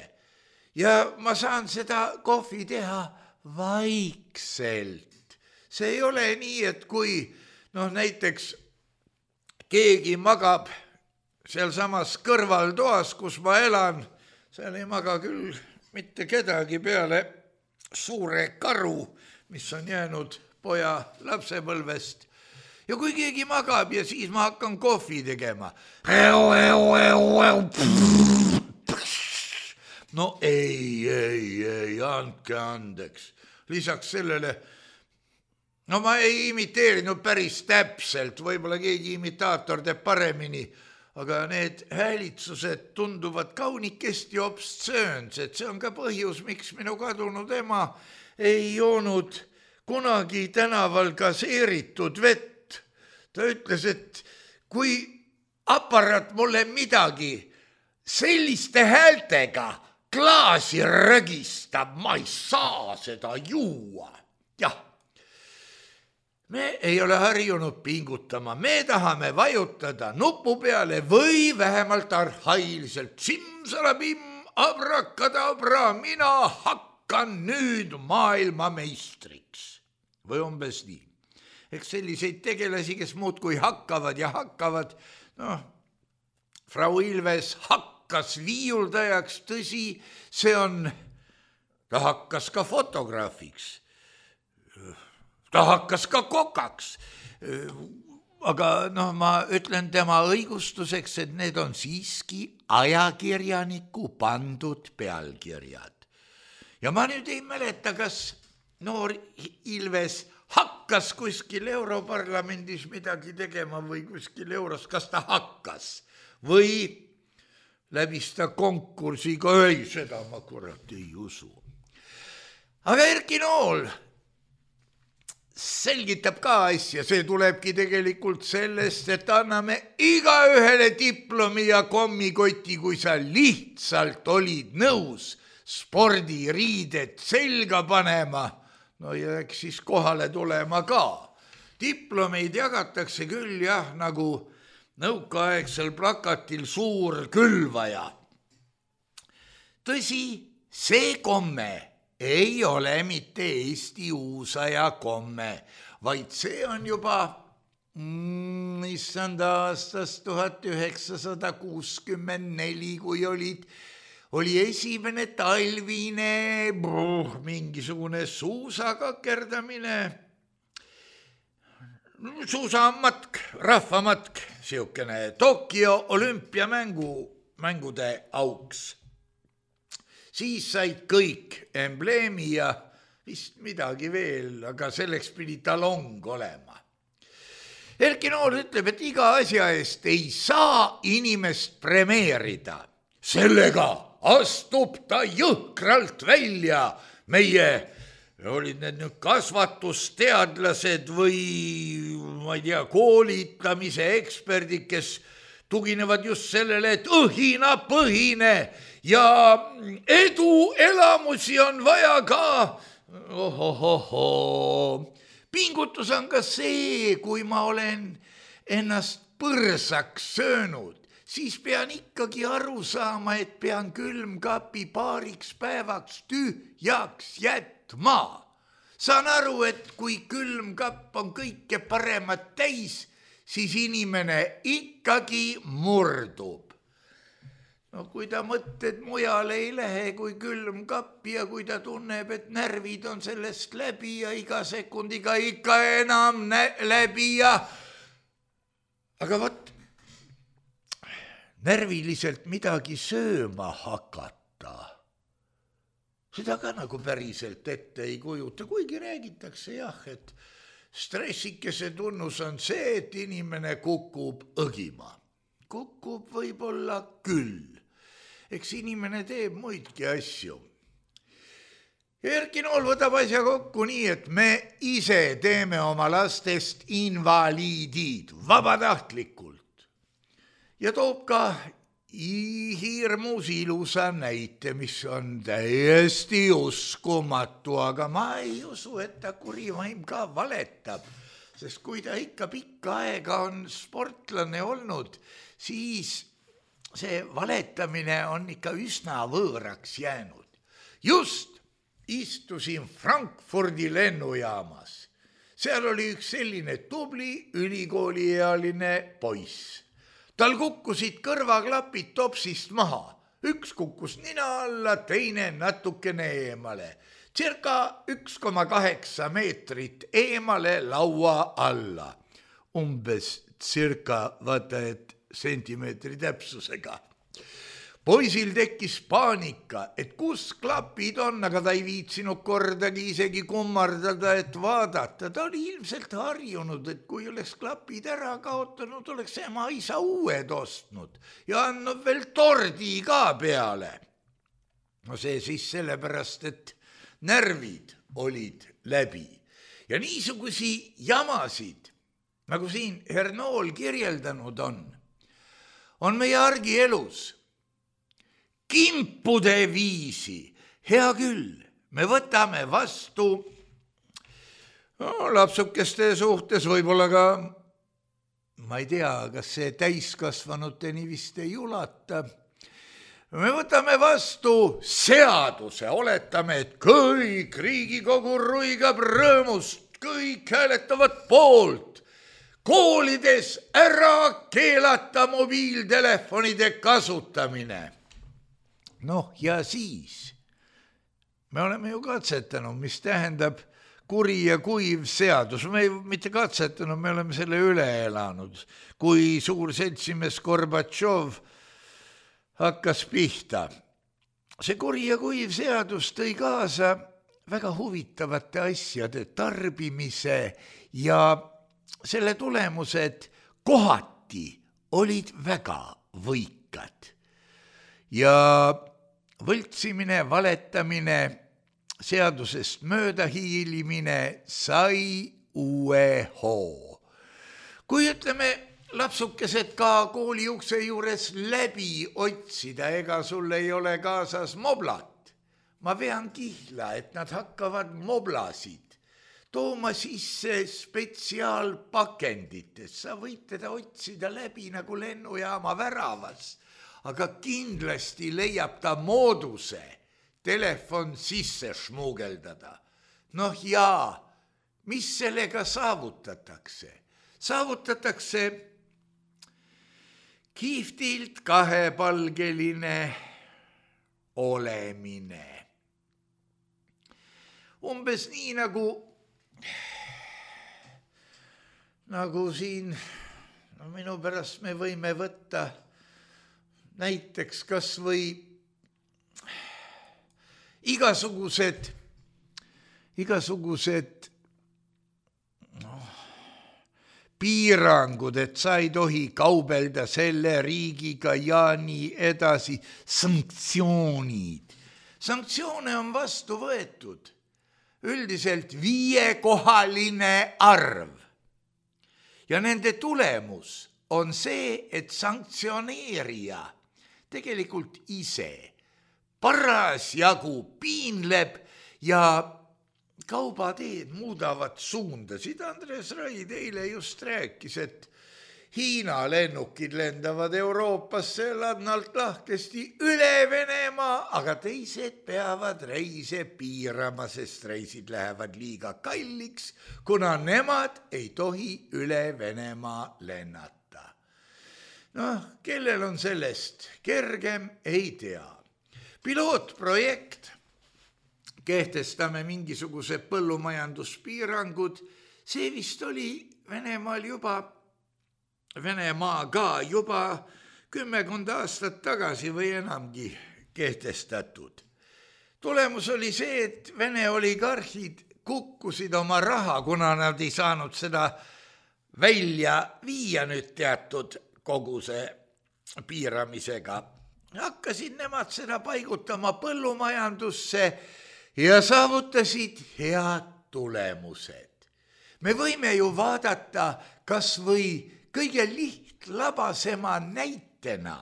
ja ma saan seda kohvi teha vaikselt. See ei ole nii, et kui noh, näiteks keegi magab seal samas kõrvaltoas, kus ma elan, seal ei maga küll mitte kedagi peale suure karu, mis on jäänud poja lapsepõlvest. Ja kui keegi magab ja siis ma hakkan kohvi tegema. No ei, ei, ei, andke andeks. Lisaks sellele, no ma ei imiteerinud päris täpselt, võib-olla keegi imitaator teeb paremini, aga need häälitsused tunduvad kaunikesti obstsöönsed. See on ka põhjus, miks minu kadunud ema ei joonud kunagi tänaval gaseeritud vett. Ta ütles, et kui aparaat mulle midagi selliste häältega klaasi rögistab, ma ei saa seda juua. Jah, me ei ole harjunud pingutama, me tahame vajutada nupu peale või vähemalt arhailiselt simsalabim, abrakadabra, mina hakkan nüüd maailma meistriks. Või umbes nii. Eks selliseid tegelasi, kes muudkui hakkavad ja hakkavad, noh, Frau Ilves hakkas viiuldajaks, tõsi, see on, ta hakkas ka fotograafiks. Ta hakkas ka kokaks, aga noh, ma ütlen tema õigustuseks, et need on siiski ajakirjaniku pandud pealkirjad. Ja ma nüüd ei mäleta, kas noor Ilves hakkas kuskil Europarlamendis midagi tegema või kuskil euros, kas ta hakkas või läbis ta konkursiga, ei, seda ma kurat ei usu. Aga Erki Nool selgitab ka asja, see tulebki tegelikult sellest, et anname igaühele diplomi ja kommikoti, kui sa lihtsalt olid nõus spordiriided selga panema, no ja eks siis kohale tulema ka. Diplomeid jagatakse küll jah, nagu nõukaaegsel plakatil suur külvaja. Tõsi, see komme ei ole mitte Eesti uusaja komme, vaid see on juba mm, issand aastast tuhat üheksasada kuuskümmend neli, kui olid, oli esimene talvine bruh, mingisugune suusakakerdamine, suusamatk, rahvamatk, siukene Tokyo olümpiamängu, mängude auks. Siis said kõik embleemi ja vist midagi veel, aga selleks pidi talong olema. Erki Nool ütleb, et iga asja eest ei saa inimest premeerida. Sellega astub ta jõhkralt välja. Meie olid need nüüd kasvatusteadlased või ma ei tea, koolitamise eksperdid, kes tuginevad just sellele, et õhinapõhine ja edu elamusi on vaja ka. Ohohoho. Pingutus on ka see, kui ma olen ennast põrsaks söönud, siis pean ikkagi aru saama, et pean külmkapi paariks päevaks tühjaks jätma. Saan aru, et kui külmkapp on kõike paremat täis, siis inimene ikkagi murdub. No kui ta mõtted mujale ei lähe kui külmkapp ja kui ta tunneb, et närvid on sellest läbi ja iga sekundiga ikka enam nä- läbi ja... Aga võt, närviliselt midagi sööma hakata, seda ka nagu päriselt ette ei kujuta, kuigi räägitakse jah, et stressikese tunnus on see, et inimene kukub õgima. Kukub võib-olla küll. Eks inimene teeb muidki asju. Erki Nool võtab asja kokku nii, et me ise teeme oma lastest invaliidid vabatahtlikult. Ja toob ka hirmus ilusa näite, mis on täiesti uskumatu, aga ma ei usu, et ta kurivaim ka valetab, sest kui ta ikka pikka aega on sportlane olnud, siis see valetamine on ikka üsna võõraks jäänud. Just istusin Frankfurdi lennujaamas. Seal oli üks selline tubli ülikooliealine poiss. Tal kukkusid kõrvaklapid topsist maha. Üks kukkus nina alla, teine natukene eemale. Circa üks koma kaheksa meetrit eemale laua alla. Umbes circa, vaata, et sentimeetri täpsusega. Poisil tekkis paanika, et kus klapid on, aga ta ei viitsinud kordagi isegi kummardada, et vaadata. Ta oli ilmselt harjunud, et kui oleks klapid ära kaotanud, oleks ema isa uued ostnud ja andnud veel tordi ka peale. No see siis sellepärast, et närvid olid läbi. Ja niisugusi jamasid, nagu siin Hernool kirjeldanud on, on meie argielus. Kimpude viisi, hea küll, me võtame vastu no, lapsukeste suhtes võib-olla ka, ma ei tea, kas see täiskasvanuteni vist ei ulata. Me võtame vastu seaduse, oletame, et kõik Riigikogu ruigab rõõmust, kõik hääletavad poolt. Koolides ära keelata mobiiltelefonide kasutamine. Noh, ja siis me oleme ju katsetanud, mis tähendab kuri ja kuiv seadus. Me ei mitte katsetanud, me oleme selle üle elanud. Kui suur seltsimees Gorbatšov hakkas pihta. See kuri ja kuiv seadus tõi kaasa väga huvitavate asjade tarbimise ja selle tulemused kohati olid väga võikad. Ja võltsimine, valetamine, seadusest mööda hiilimine sai uue hoo. Kui ütleme lapsukesed ka kooli ukse juures läbi otsida, ega sul ei ole kaasas moblat. Ma vean kihla, et nad hakkavad moblasid tooma sisse spetsiaalpakendites. Sa võid teda otsida läbi nagu lennujaama väravas. Aga kindlasti leiab ta mooduse telefon sisse šmugeldada. Noh jaa, mis sellega saavutatakse? Saavutatakse kihvtilt kahepalgeline olemine. Umbes nii nagu, nagu siin, no minu pärast me võime võtta näiteks kas või igasugused, igasugused no, piirangud, et sa ei tohi kaubelda selle riigiga ja nii edasi. Sanktsioonid. Sanktsioone on vastu võetud. Üldiselt viiekohaline arv. Ja nende tulemus on see, et sanktsioneerija tegelikult ise parasjagu piinleb ja kaubateed muudavad suundasid. Andres Raid eile just rääkis, et Hiina lennukid lendavad Euroopasse ladnalt lahkesti üle Venemaa, aga teised peavad reise piirama, sest reisid lähevad liiga kalliks, kuna nemad ei tohi üle Venemaa lennata. Noh, kellel on sellest kergem, ei tea. Pilootprojekt, kehtestame mingisuguse põllumajanduspiirangud, see vist oli Venemaal juba Venemaaga juba kümmekond aastat tagasi või enamgi kehtestatud. Tulemus oli see, et Vene oligarhid kukkusid oma raha, kuna nad ei saanud seda välja viia nüüd teatud koguse piiramisega. Hakkasid nemad seda paigutama põllumajandusse ja saavutasid head tulemused. Me võime ju vaadata kas või kõige lihtlabasema näitena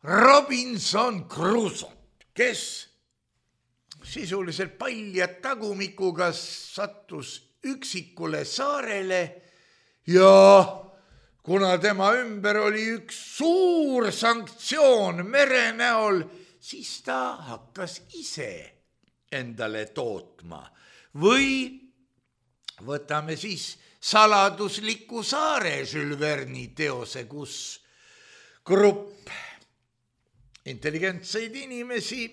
Robinson Crusoe, kes sisuliselt palja tagumikuga sattus üksikule saarele ja kuna tema ümber oli üks suur sanktsioon mere näol, siis ta hakkas ise endale tootma. Või võtame siis saladusliku saare Jules Verne'i teose, kus grupp intelligentseid inimesi,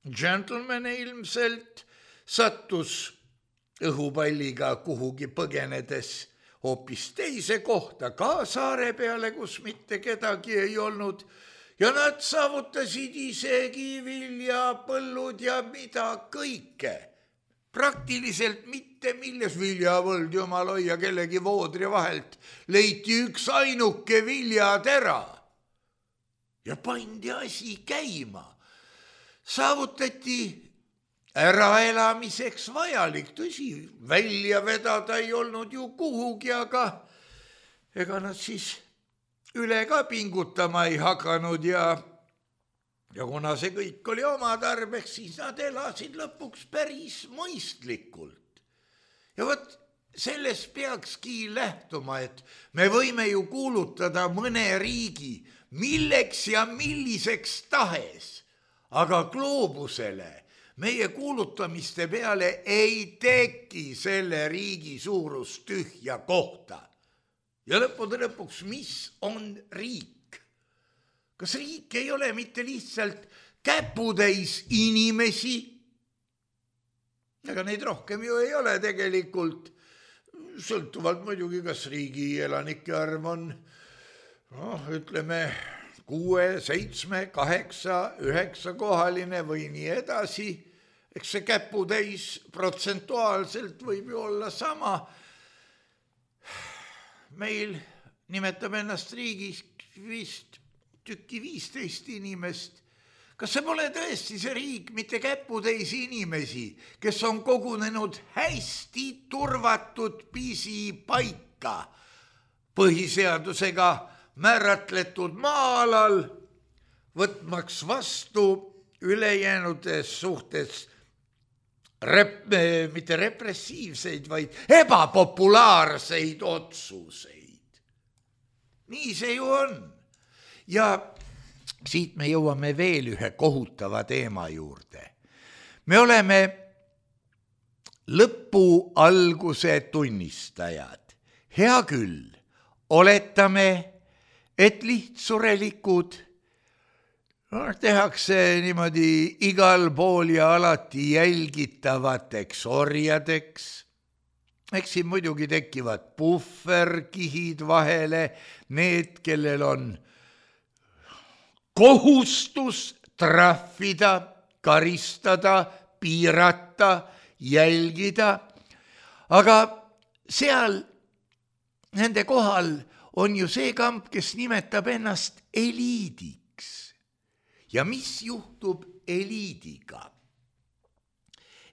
gentleman ilmselt, sattus õhupalliga kuhugi põgenedes hoopis teise kohta ka saare peale, kus mitte kedagi ei olnud ja nad saavutasid isegi viljapõllud ja mida kõike. Praktiliselt mitte milles viljavõld, jumal hoia kellegi voodri vahelt, leiti üks ainuke viljatera ja pandi asi käima. Saavutati äraelamiseks vajalik, tõsi, välja vedada ei olnud ju kuhugi, aga ega nad siis üle ka pingutama ei hakanud ja, ja kuna see kõik oli oma tarbeks, siis nad elasid lõpuks päris mõistlikult. Ja võt, sellest peakski lähtuma, et me võime ju kuulutada mõne riigi milleks ja milliseks tahes, aga gloobusele meie kuulutamiste peale ei teki selle riigi suurust tühja kohta. Ja lõppude lõpuks, mis on riik? Kas riik ei ole mitte lihtsalt käputäis inimesi? Ega neid rohkem ju ei ole tegelikult. Sõltuvalt muidugi, kas riigi elanike arv on, no, ütleme, kuue, seitsme, kaheksa, üheksa kohaline või nii edasi. Eks see käputäis protsentuaalselt võib ju olla sama. Meil nimetab ennast riigis vist tükki viisteist inimest. Kas see pole tõesti see riik, mitte käputäis inimesi, kes on kogunenud hästi turvatud pisipaika põhiseadusega määratletud maa-alal, võtmaks vastu ülejäänudes suhtes rep, mitte repressiivseid, vaid ebapopulaarseid otsuseid. Nii see ju on. Ja siit me jõuame veel ühe kohutava teema juurde. Me oleme lõpu alguse tunnistajad. Hea küll, oletame, et lihtsurelikud no, tehakse niimoodi igal pool ja alati jälgitavateks orjadeks. Eks siin muidugi tekivad puhverkihid vahele, need, kellel on kohustus trahvida, karistada, piirata, jälgida, aga seal nende kohal on ju see kamp, kes nimetab ennast eliidiks. Ja mis juhtub eliidiga?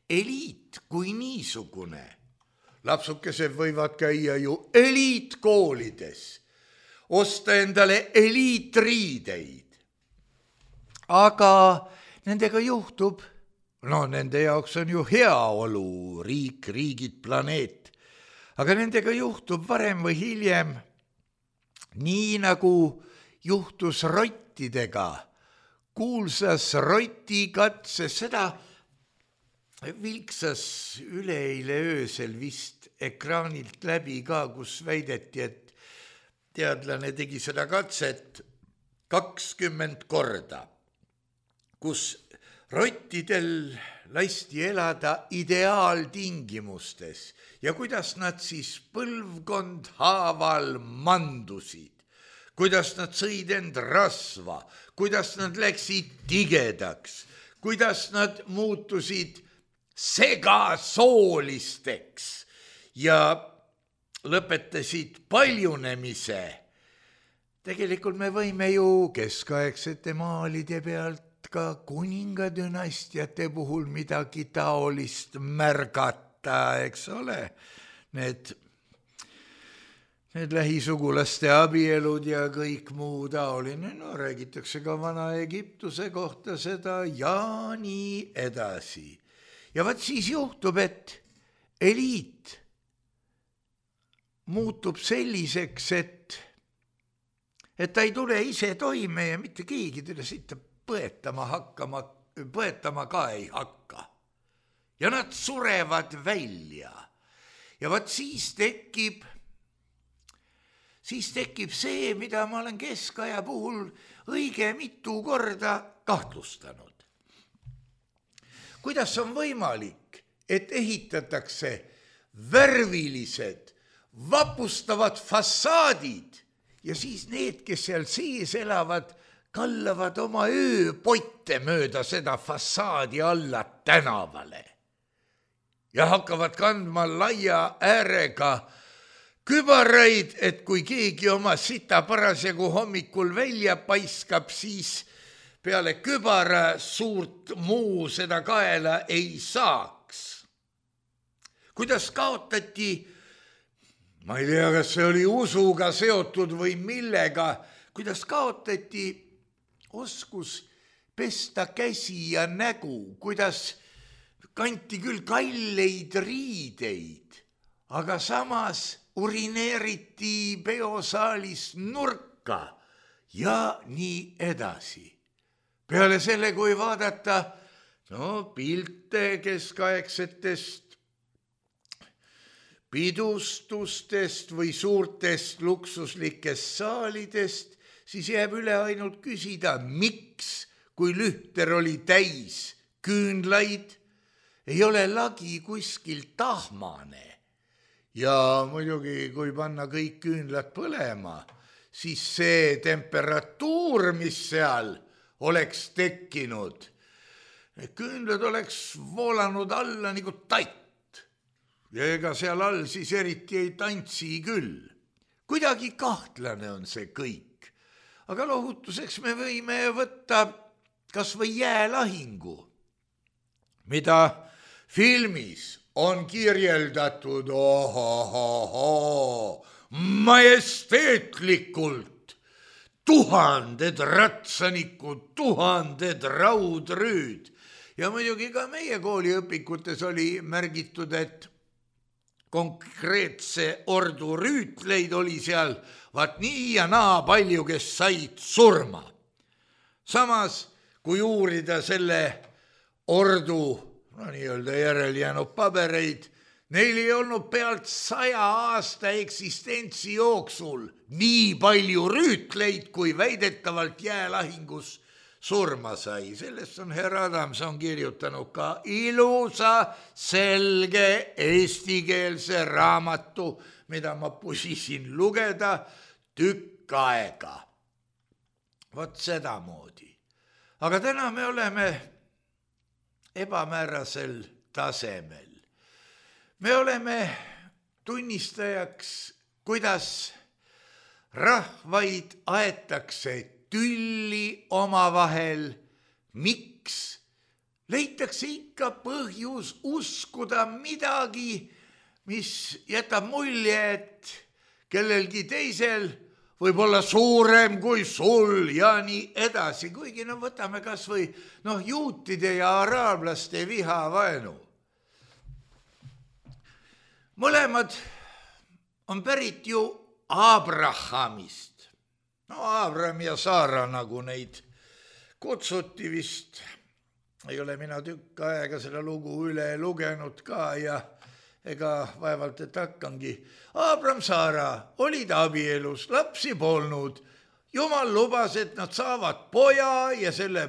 Eliit kui niisugune, lapsukesed võivad käia ju eliitkoolides, osta endale eliitriideid, aga nendega juhtub, no nende jaoks on ju heaolu, riik, riigid, planeet, aga nendega juhtub varem või hiljem nii nagu juhtus rottidega, kuulsas rotikatses, seda vilksas üleeile öösel vist ekraanilt läbi ka, kus väideti, et teadlane tegi seda katset kakskümmend korda, kus rottidel lasti elada ideaaltingimustes ja kuidas nad siis põlvkond haaval mandusid, kuidas nad sõid end rasva, kuidas nad läksid tigedaks, kuidas nad muutusid segasoolisteks ja lõpetasid paljunemise. Tegelikult me võime ju keskaegsete maalide pealt ka kuningadünastiate puhul midagi taolist märgata, eks ole. Need need lähisugulaste abielud ja kõik muu taoline, no räägitakse ka Vana-Egiptuse kohta seda ja nii edasi. Ja vaat siis juhtub, et eliit muutub selliseks, et, et ta ei tule ise toime ja mitte keegi teda sitta põetama hakkama, põetama ka ei hakka. Ja nad surevad välja. Ja vaat siis tekib siis tekib see, mida ma olen keskaja puhul õige mitu korda kahtlustanud. Kuidas on võimalik, et ehitatakse värvilised, vapustavad fassaadid ja siis need, kes seal sees elavad, kallavad oma ööpotte mööda seda fassaadi alla tänavale ja hakkavad kandma laia äärega kübaraid, et kui keegi oma sita parasjagu hommikul välja paiskab, siis peale kübara suurt muu seda kaela ei saaks. Kuidas kaotati, ma ei tea, kas see oli usuga seotud või millega, kuidas kaotati oskus pesta käsi ja nägu, kuidas kanti küll kalleid riideid, aga samas urineeriti peosaalis nurka ja nii edasi. Peale selle, kui vaadata no, pilte keskaegsetest pidustustest või suurtest luksuslikest saalidest, siis jääb üle ainult küsida, miks, kui lühter oli täis küünlaid, ei ole lagi kuskil tahmane. Ja muidugi, kui panna kõik küünlad põlema, siis see temperatuur, mis seal oleks tekkinud, küünlad oleks voolanud alla nagu tatt. Ja ega seal all siis eriti ei tantsi küll. Kuidagi kahtlane on see kõik. Aga lohutuseks me võime võtta kas või jäälahingu, mida filmis on kirjeldatud ohohoho, majesteetlikult, tuhanded ratsanikud, tuhanded raudrüüd. Ja muidugi ka meie kooliõpikutes oli märgitud, et konkreetse ordu rüütleid oli seal vaat nii ja naa palju, kes said surma. Samas, kui uurida selle ordu no nii-öelda järel jäänud pabereid, neil ei olnud pealt saja aasta eksistentsi jooksul nii palju rüütleid, kui väidetavalt jäälahingus surma sai. Sellest on herr Adamson kirjutanud ka ilusa, selge, eestikeelse raamatu, mida ma pusisin lugeda tükk aega. Vot sedamoodi. Aga täna me oleme ebamäärasel tasemel. Me oleme tunnistajaks, kuidas rahvaid aetakse tülli omavahel. Miks? Leitakse ikka põhjus uskuda midagi, mis jätab mulje, et kellelgi teisel võib olla suurem kui sul ja nii edasi, kuigi no võtame kas või no, juutide ja araablaste vihavaenu. Mõlemad on pärit ju Abrahamist. No Abraham ja Saara, nagu neid kutsuti vist. Ei ole mina tükk aega seda lugu üle lugenud ka ja ega vaevalt, et hakkangi. Abraham Saara olid abielus, lapsi polnud. Jumal lubas, et nad saavad poja ja selle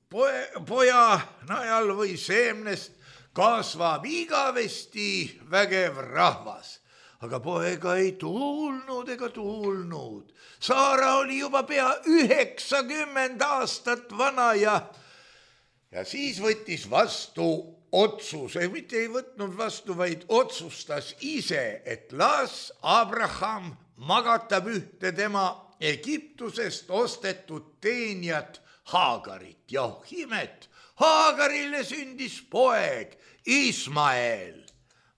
poja, poja najal või seemnest kasvab igavesti vägev rahvas. Aga poega ei tulnud ega tulnud. Saara oli juba pea üheksakümmend aastat vana ja, ja siis võttis vastu otsuse, mitte ei võtnud vastu, vaid otsustas ise, et las Abraham magatab ühte tema Egiptusest ostetud teenijat Haagarit. Ja himet, Haagarile sündis poeg Ismael.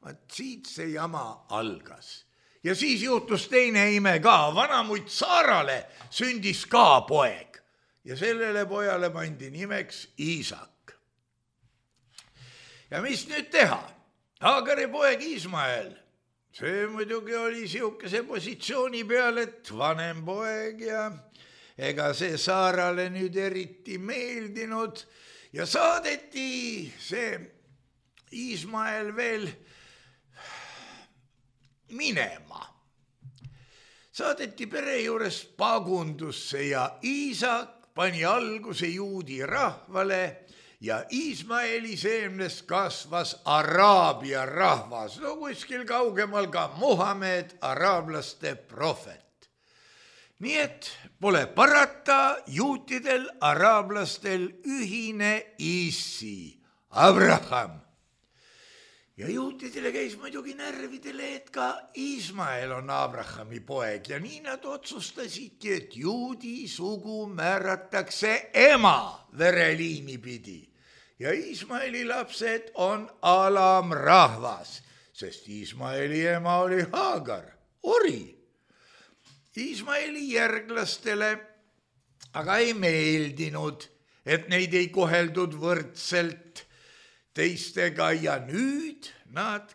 Vaat siit see jama algas. ja siis juhtus teine ime ka, vanamutt Saarale sündis ka poeg ja sellele pojale pandi nimeks Iisak. ja mis nüüd teha? Haagari poeg Ismael, see muidugi oli siukese positsiooni peal, et vanem poeg ja ega see Saarale nüüd eriti meeldinud ja saadeti see Ismael veel minema. Saadeti pere juures pagundusse ja Iisak pani alguse juudi rahvale ja Ismaeli seemnest kasvas Araabia rahvas, no kuskil kaugemal ka Muhamed, araablaste prohvet. nii et pole parata, juutidel, araablastel ühine issi, Abraham. ja juutidele käis muidugi närvidele, et ka Ismael on Abrahami poeg ja nii nad otsustasidki, et juudi sugu määratakse ema vereliini pidi ja Ismaeli lapsed on alamrahvas, sest Ismaeli ema oli Haagar, ori. Ismaeli järglastele aga ei meeldinud, et neid ei koheldud võrdselt teistega ja nüüd nad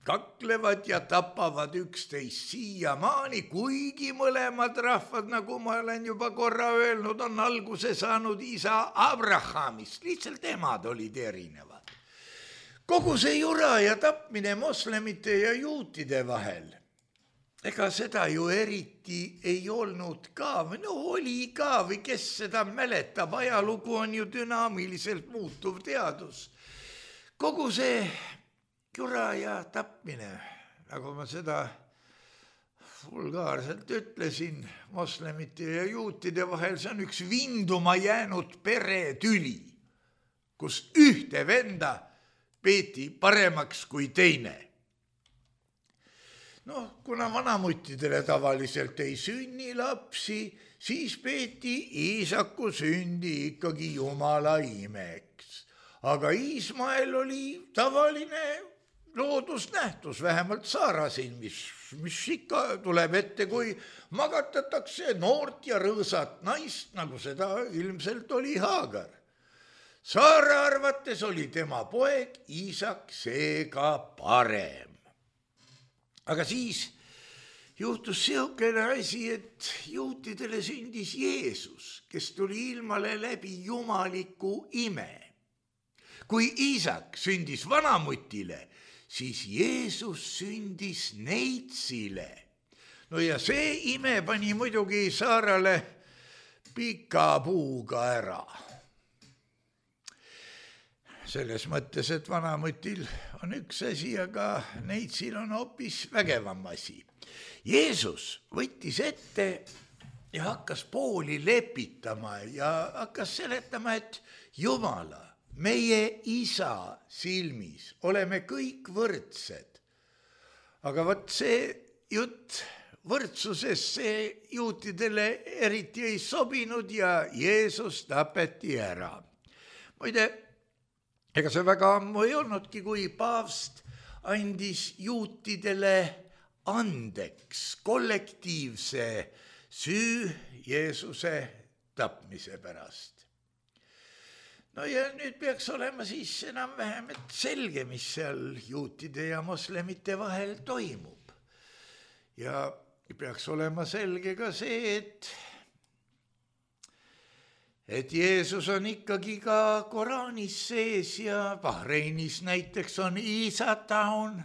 kaklevad ja tapavad üksteist siiamaani, kuigi mõlemad rahvad, nagu ma olen juba korra öelnud, on alguse saanud isa Abrahamist, lihtsalt emad olid erinevad. Kogu see jura ja tapmine moslemite ja juutide vahel, ega seda ju eriti ei olnud ka, või no oli ka või kes seda mäletab, ajalugu on ju dünaamiliselt muutuv teadus. Kogu see jura ja tapmine, nagu ma seda vulgaarselt ütlesin, moslemite ja juutide vahel, see on üks vinduma jäänud peretüli, kus ühte venda peeti paremaks kui teine. No, kuna vanamuttidele tavaliselt ei sünni lapsi, siis peeti Iisaku sündi ikkagi Jumala imeks. Aga Ismael oli tavaline loodusnähtus, vähemalt Saarasin, mis, mis ikka tuleb ette, kui magatatakse noort ja rõõsat naist, nagu seda ilmselt oli Haagar. Saara arvates oli tema poeg Iisak seega parem. Aga siis juhtus seokene asi, et juutidele sündis Jeesus, kes tuli ilmale läbi jumaliku ime. Kui Iisak sündis vanamutile, siis Jeesus sündis neitsile. No ja see ime pani muidugi Saarale pika puuga ära. Selles mõttes, et vanamutil on üks asi, aga neitsil on hoopis vägevam asi. Jeesus võttis ette ja hakkas pooli lepitama ja hakkas seletama, et Jumala, meie isa silmis oleme kõik võrdsed. Aga võt see jutt võrdsuses see juutidele eriti ei sobinud ja Jeesus tapeti ära. Muide, ega see väga ammu ei olnudki, kui paavst andis juutidele andeks kollektiivse süü Jeesuse tapmise pärast. No ja nüüd peaks olema siis enam-vähem selge, mis seal juutide ja moslemite vahel toimub. Ja peaks olema selge ka see, et et Jeesus on ikkagi ka Koraanis sees ja Bahreinis näiteks on Iisa taun,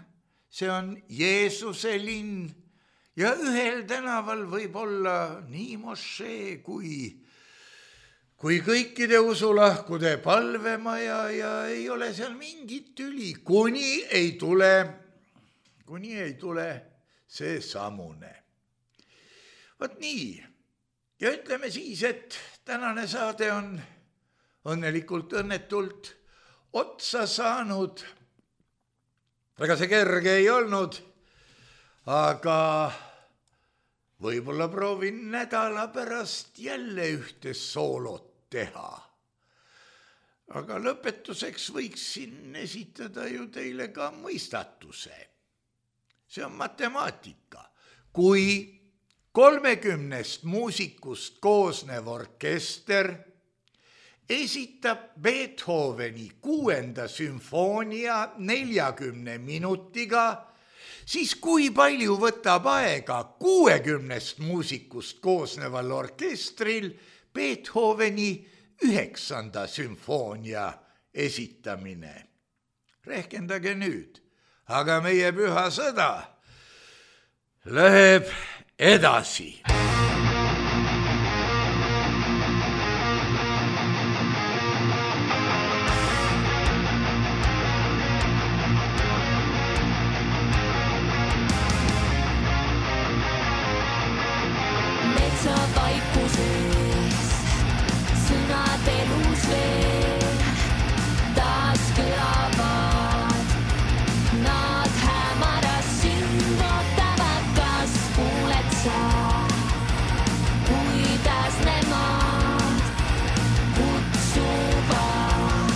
see on Jeesuse linn ja ühel tänaval võib olla nii mošee kui kui kõikide usulahkude palvemaja ja ei ole seal mingit tüli, kuni ei tule, kuni ei tule see samune. Vot nii, ja ütleme siis, et tänane saade on õnnelikult õnnetult otsa saanud. Ega see kerge ei olnud, aga võib-olla proovin nädala pärast jälle ühte soolot teha. Aga lõpetuseks võiksin esitada ju teile ka mõistatuse. See on matemaatika. kui kolmekümnest muusikust koosnev orkester esitab Beethoveni kuuenda sümfoonia neljakümne minutiga, siis kui palju võtab aega kuuekümnest muusikust koosneval orkestril Beethoveni üheksanda sümfoonia esitamine? Rehkendage nüüd, aga meie püha sõda läheb edasi. Metsa vaikuses sõnad elus veel taas kõlavad. Nad hämaras sind ootavad, kas kuuled sa, kuidas nemad kutsuvad.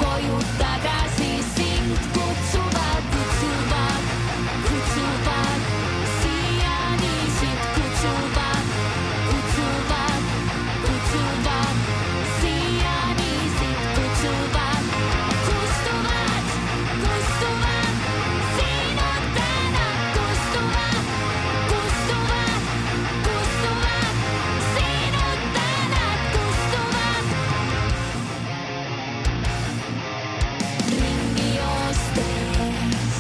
Koju tagasi sind kutsuvad, kutsuvad, kutsuvad, siiani sind kutsuvad, kutsuvad, kutsuvad, siiani sind kutsuvad, kustuvad, kustuvad, sinud tänad kustuvad, kustuvad, kustuvad, sinud tänad kustuvad. Ringi joostes,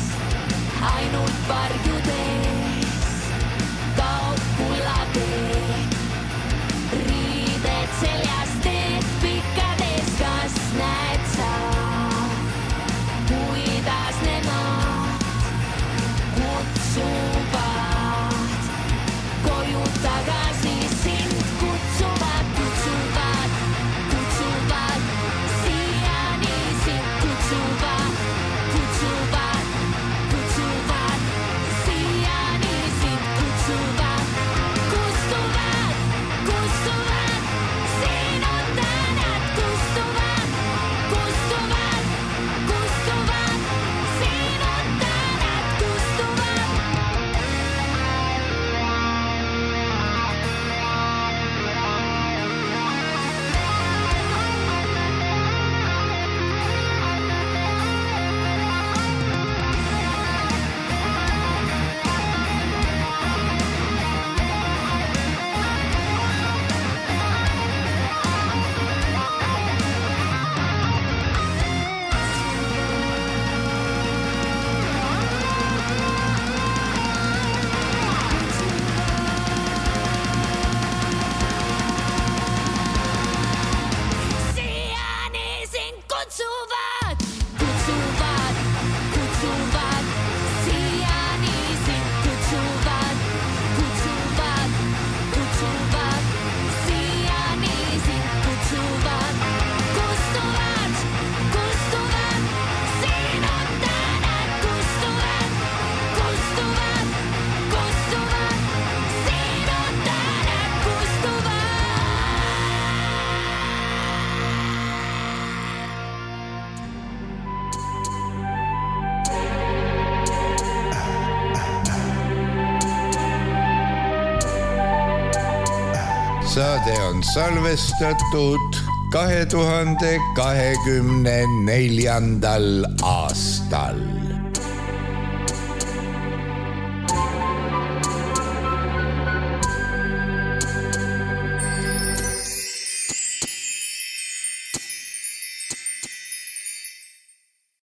ainult varjudes, kaob kullatee, riided seljas teed pikkades, kas näed sa, kuidas nemad kutsuvad. Koju tagasi sind kutsuvad, kutsuvad, kutsuvad, siiani sind kutsuvad, kutsuvad, kutsuvad, siiani sind kutsuvad, kustuvad, kustuvad, sinud tänad kustuvad, kustuvad, kustuvad, sinud tänad kustuvad. Siiani sind kutsuvad, kutsuvad, kutsuvad, siiani sind kutsuvad, kutsuvad, kutsuvad, siiani sind kutsuvad, kustuvad, kustuvad, sinud tänad kustuvad, kustuvad, kustuvad, sinud tänad kustuvad. Saade on salvestatud kahe tuhande kahekümne neljandal aastal.